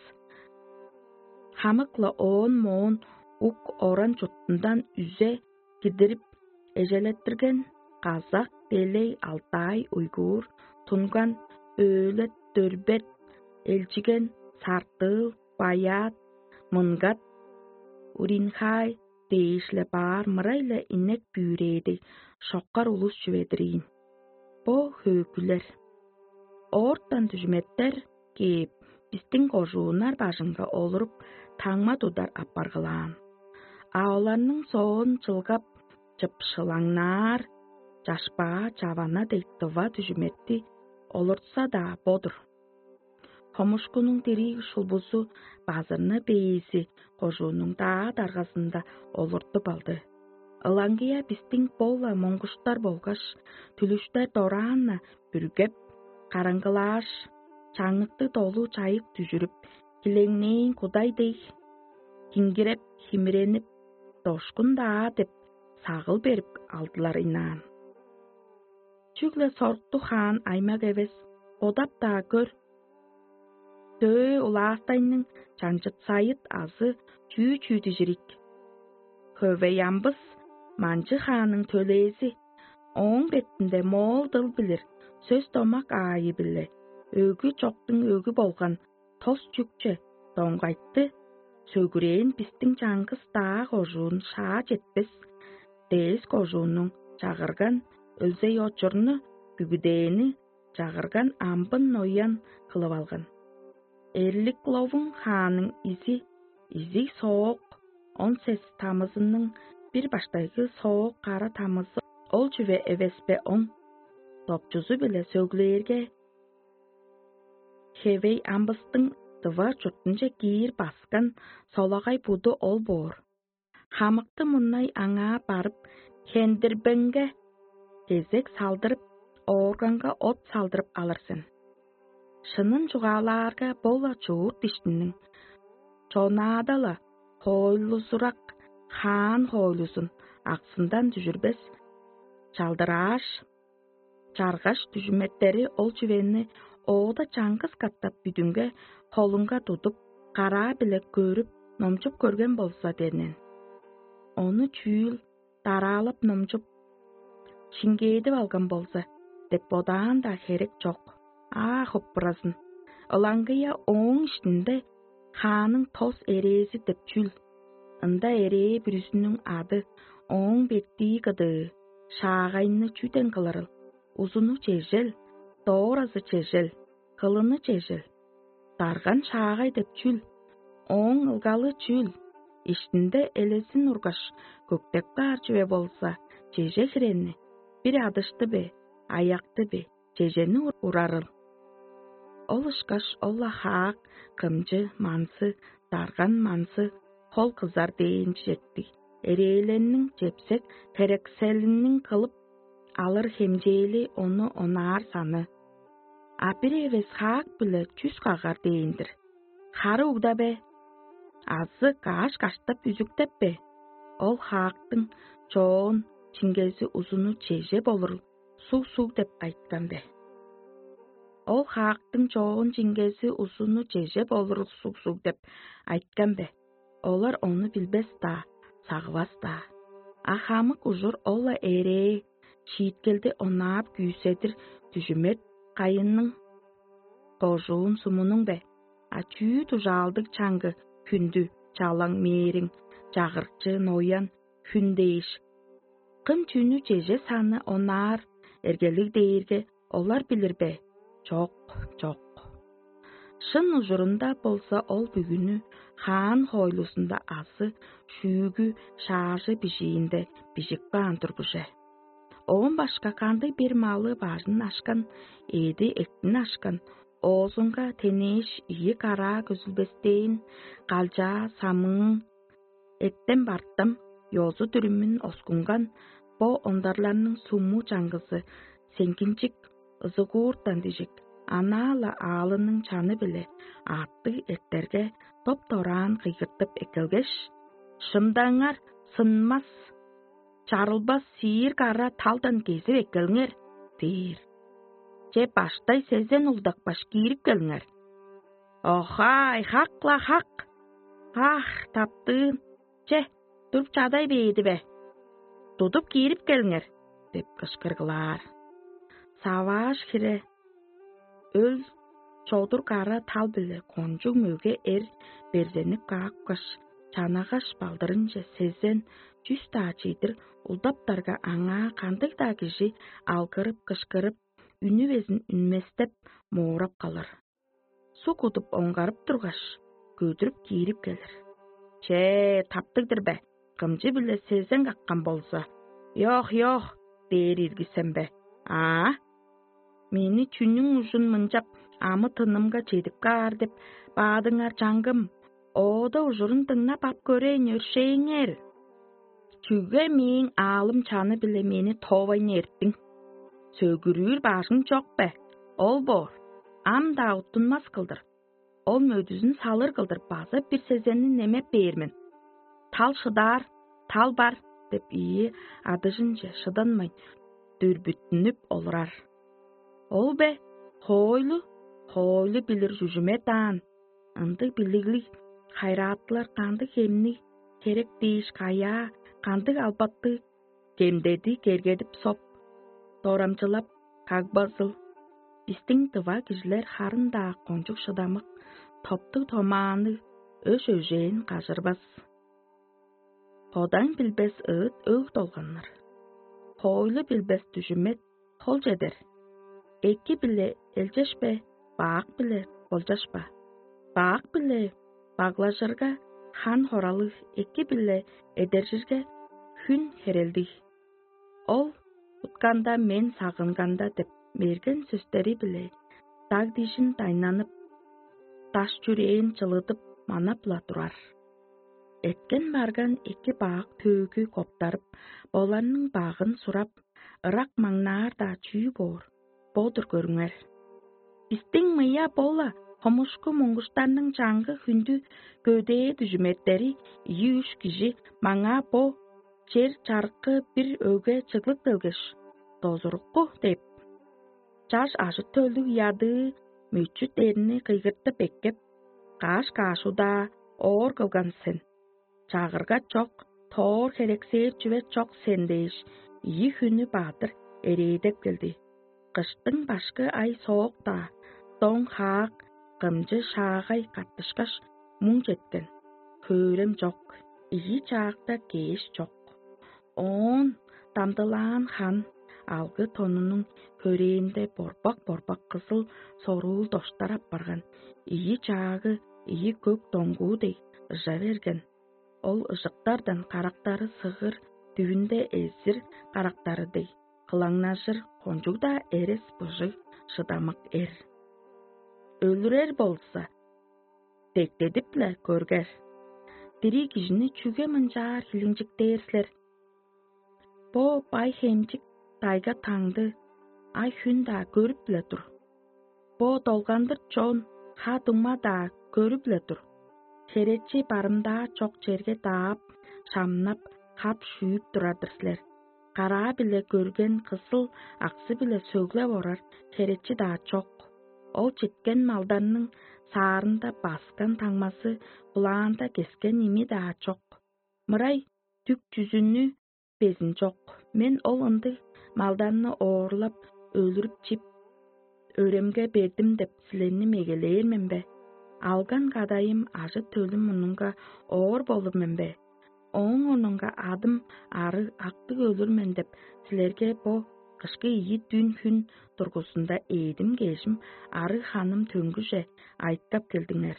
Хамык-ла оон моон ук оран чуртундан үзе кидирип, эжелеттирген казак, делей, алтай, уйгур, тунган, өлет, дөрбет, элчиген, сартыыл, баяат, мынгат, уринхай дээш-ле баар мырай-ла инек бүүрээдей шоккар улус чүве-дир ийин. Бо хөөкүлер оортан дүжүметтер кээп, бистиң кожууннар бажынга олуруп, таңма тудар апаргылаан. А оларның соон чылгап, чыпшылаңнаар чашпаа чавана дег тыва дүжүметти олуртса-даа бо-дур. Хомушкунуң дириг шулбузу базырны бээзи кожуунуң даа даргазында олуртуп алды. Ылаңгыя бистиң бо-ла моңгуштар болгаш түлүштер дораан-на бүргеп, караңгылааш, чаңныкты долу чайык дүжүрүп, килеңнээн кудай дег, киңгиреп, химиренип, дошкун-даа деп сагыл берип алдылар ыйнаан. Чүгле соруктуг хаан аймак эвес, бодап-даа көр, дөө улаастайның чаңчыт-сайыт азы чүү-чүү дижирик. Хөвей амбыс манчы хааның төлээзи, ооң бетинде моол дыл билир, сөс-домак аайы-биле өгү чоктуң өгү болган тос чүкче доңгайтты сөгүрээн бистиң чаңгыс-даа кожуун шаа четпес, дээс кожууннуң чагырган өлзей-очурну бүгүдээни чагырган амбын ноян кылып алган. Эрлик Ловуң хааның изи изиг соок, он сес тамызының бир баштайгы соок кара тамызы ол чүве эвеспе оң? Допчузу-биле сөглээрге, хевей амбыстың дыва чуртунче киир баскан солагай буду ол боор. Хамыкты мурнай аңаа барып, хендирбеңге кезек салдырып, оорганга от салдырып алыр сен. Шынын чугаалаарга, бо-ла чуут иштиниң чонаада-ла хоойлузурак хаан хоойлузун аксындан дүжүрбес, чалдырааш, чаргаш дүжүметтери ол чүвени оода чаңгыс катап бүдүнге холунга тудуп, караа-биле көрүп, номчуп көрген болза дернен. Ону чүүл дараалап номчуп, шиңгээдип алган болза деп бодаан-даа херек чок. Аа, хоппуразын. Ылаңгыя ооң иштинде хааның тос эрээзи деп чүл? Ында эрээ бүрүзүнүң ады, ооң беттии кыдыы, шаагайны чүден кылырыл? Узуну чежел, дооразы чежел, кылыны чежел. Дарган шаагай деп чүл? Ооң ылгалы чүл? Иштинде элезин ургаш, көктеп каар чүве болза, чеже хирени, бир адышты бе, аякты бе, чежени урарыл. Ол ышкаш ол-ла хаак, кымчы, манзы, дарган манзы, хол кызар дээн четти. Эрээленниң чепсек херекселиниң кылып алыр хемчээли ону онаар саны. А бир эвес хаак-биле чүс кагар дээн-дир. Хары угда бе? Азы кааш каштап үзүктеп бе? Ол хаактың чоон чиңгези узуну чеже болурул суг-суг деп айткан бе? Ол хаактың чоон чиңгези узуну чеже болурул суг-суг деп айткан бе? Олар ону билбес-даа, сагывас-даа. А хамык ужур ол-ла эрээ, шииткелди онаап күүседир дүжүмет кайынның, кожуун сумунуң бе? А чүү дужаалдыг чаңгы хүндү чалаң мээриң, чагырыкчы ноян, хүн дээш. Кым чүнү чеже саны онаар эргелиг дээрге олар билир бе? Чок, чок. Шын ужурунда болза ол бүгүнү хаан хоойлузунда азы шүүгү шаажы бижиинде бижип каан тургуже. Оон башка кандыг бир малы бажын ашкан, эъди эктин ашкан, оозунга тенээш ийи караа көзүлбестээн, калчаа самыың, эттен бартам, ёзу-дүрүмүн оскунган бо ондарларның суму чаңгызы сеңгинчик, ызыгууртан дижик, анаа-ла аалының чаны-биле аъттыг эртерге, доп-дораан кыйгыртып эккелгеш: «Шымдаңар, сынмас, чарылбас сиир кара талдан кезип эккелиңер» – дээр. «Че, баштай сезен улдакпаш киирип келиңер». «Охай, хак-ла хак! Ах, таптыын! Че, туруп чадай бээди бе? Тудуп киирип келиңер» – деп кышкыргылаар. Савааш хире өл, чодур кара тал-биле кончуг мөге эр берзенип каапкаш, чанагаш балдырынче сезен чүс-даа чедир улдаптарга, аңаа кандыг-даа кижи алгырып-кышкырып, үнү безин үнместеп, моорап калыр. Суг кудуп оңгарып тургаш, көдүрүп киирип келир. «Че, таптыг-дыр бе? Кымчы-биле сезен каккан болза, „Йок, йок“ – дээр ирги сен бе? Аа? Мени чүнүң ужун мынчап амы-тынымга чедип каар деп баадыңар, чаңгым? Оода ужурун дыңнап ап көрейн, өршээңер. Чүге мээң аалым чаны-биле мени тоовайн эрттиң? Сөгүрүүр бажың чок бе? Ол боор, ам-даа уттунмас кылдыр, ол мөдүзүн салыр кылдыр база бир сезенни немеп бээр мен. Тал шыдаар, тал бар» – деп ийи адыжынче шыданмайн дүрбүттүнүп олурар. Ол бе хоойлу, хоойлу билир чүжүме даан, ындыг билиглиг хайыраатылар кандыг хемниг херек дээш, каяа, кандыг албаттыг кемдеди кергедип соп, дорамчылап кагбазыл. Бистиң дыва кижилер харын-даа кончуг шыдамык, топтуг-томаанныг, өш-өжээн кажырбас. Бодаң билбес ыыт өг долганнар. Хоойлу билбес дүжүмет хол чедер. Эки-биле элчешпе, баак-биле болчашпа. Баак-биле баглажырга, хан хоралыг, эки-биле эдержирге, хүн херелдиг. Ол утканда, мен сагынганда деп мерген сөстери-биле даг-дижин дайнанып, даш-чүрээн чылыдып манап-ла турар. Эрткен-барган эки баак төөгү коптарып, оларның багын сурап, ырак маңнаар-даа чүү боор, бо-дур көрүңер. Бистиң мыя бо-ла хомушку муңгуштарның чаңгы хүндү көдээ дүжүметтери ийи-үш кижи маңаа бо чер чарыккы бир өгге чыглып келгеш: «Дозурукку» – деп, чаш ажы-төлдүг ядыы мөчү дерни кыйгыртып эккеп, каш-каш удаа оор кылган сен. Чагырга чок, тоор херексээр чүве чок сен дээш, ийи хүннү бадыр эрээдеп келди. Кыштың башкы ай соок-даа, доң-хаак, кымчы шаагай каттышкаш, муң четкен. Хөөрем чок, ийи чаакта кээш чок. Оон дамдылаан хан алгы тонунуң хөрээнде борбак-борбак кызыл соруул доштар апарган, ийи чаагы ийи көк доңгуу дег ыжа берген. Ол ыжыктардан карактары сыгыр, дүвүнде эзир карактары дег, кылаңнажыр кончуг-даа эрес-быжыг шыдамык эр. Өлүрер болза, дектедип-ле көргер. Дириг кижини чүге мынчаар хилинчиктээр силер? Бо бай-хемчик дайга-таңды ай-хүн-даа көрүп-ле тур. Бо долгандыр чон ха-дуңма-даа көрүп-ле тур. Херечи барымдаа чок черге даап, шамнап, хап-шүүп турар-дыр силер. Караа-биле көрген кызыл аксы-биле сөглеп орар херечи-даа чок. Ол читкен малдарның саарында баскан таңмазы, кулаанда кескен ими-даа чок. Мырай дүк-чүзүнү безин чок. Мен ол ындыг малдарны оорлап, өлүрүп чип, өремге бердим деп силерни мегелээр мен бе? Алган кадайым ажы-төлүм мурнунга оор болур мен бе? Ооң орнунга адым арыг, актыг өлүр мен деп, силерге бо кышкы ийи дүн хүн дургузунда ээдим-кежим, арыг-ханым төңгүже айтап келдиңер.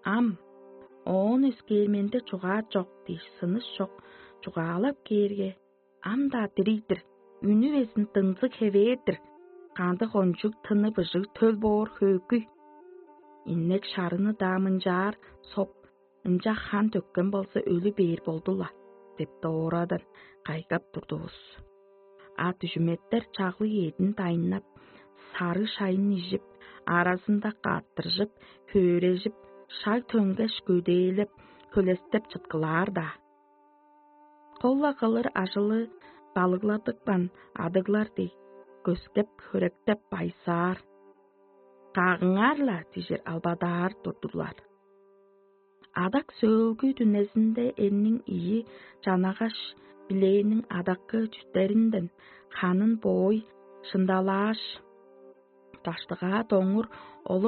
Ам оон өскээр менде чугаа чок дээш, сыныш чок чугаалап кээрге, ам-даа дириг-дир, үнү безин дыңзыг хевээр-дир, кандыг кончуг тыны быжыг төл боор хөөкүй. Иннек шарыны-даа мынчаар соп, ынча хан төккен болза, өлү бээр болду-ла деп, доорадыр кайгап турдувус. А дүжүметтер чаглыг эъдин дайнап, сарыг шайын ижип, аразында каттыржып, хөөрежип, шаг төңгеш көдээлеп, хөлестеп чыткылаар-даа. Кол-ла кылыр ажылы балыгладыпкан адыглар дег, көскеп-хөректеп байзаар. Кагыңар-ла дижир албадаар турдулар. Адак сөөлгү дүнезинде эрниң ийи чанагаш, билээниң адаккы чүтеринден ханын боой шындалааш, даштыгаа доңур олур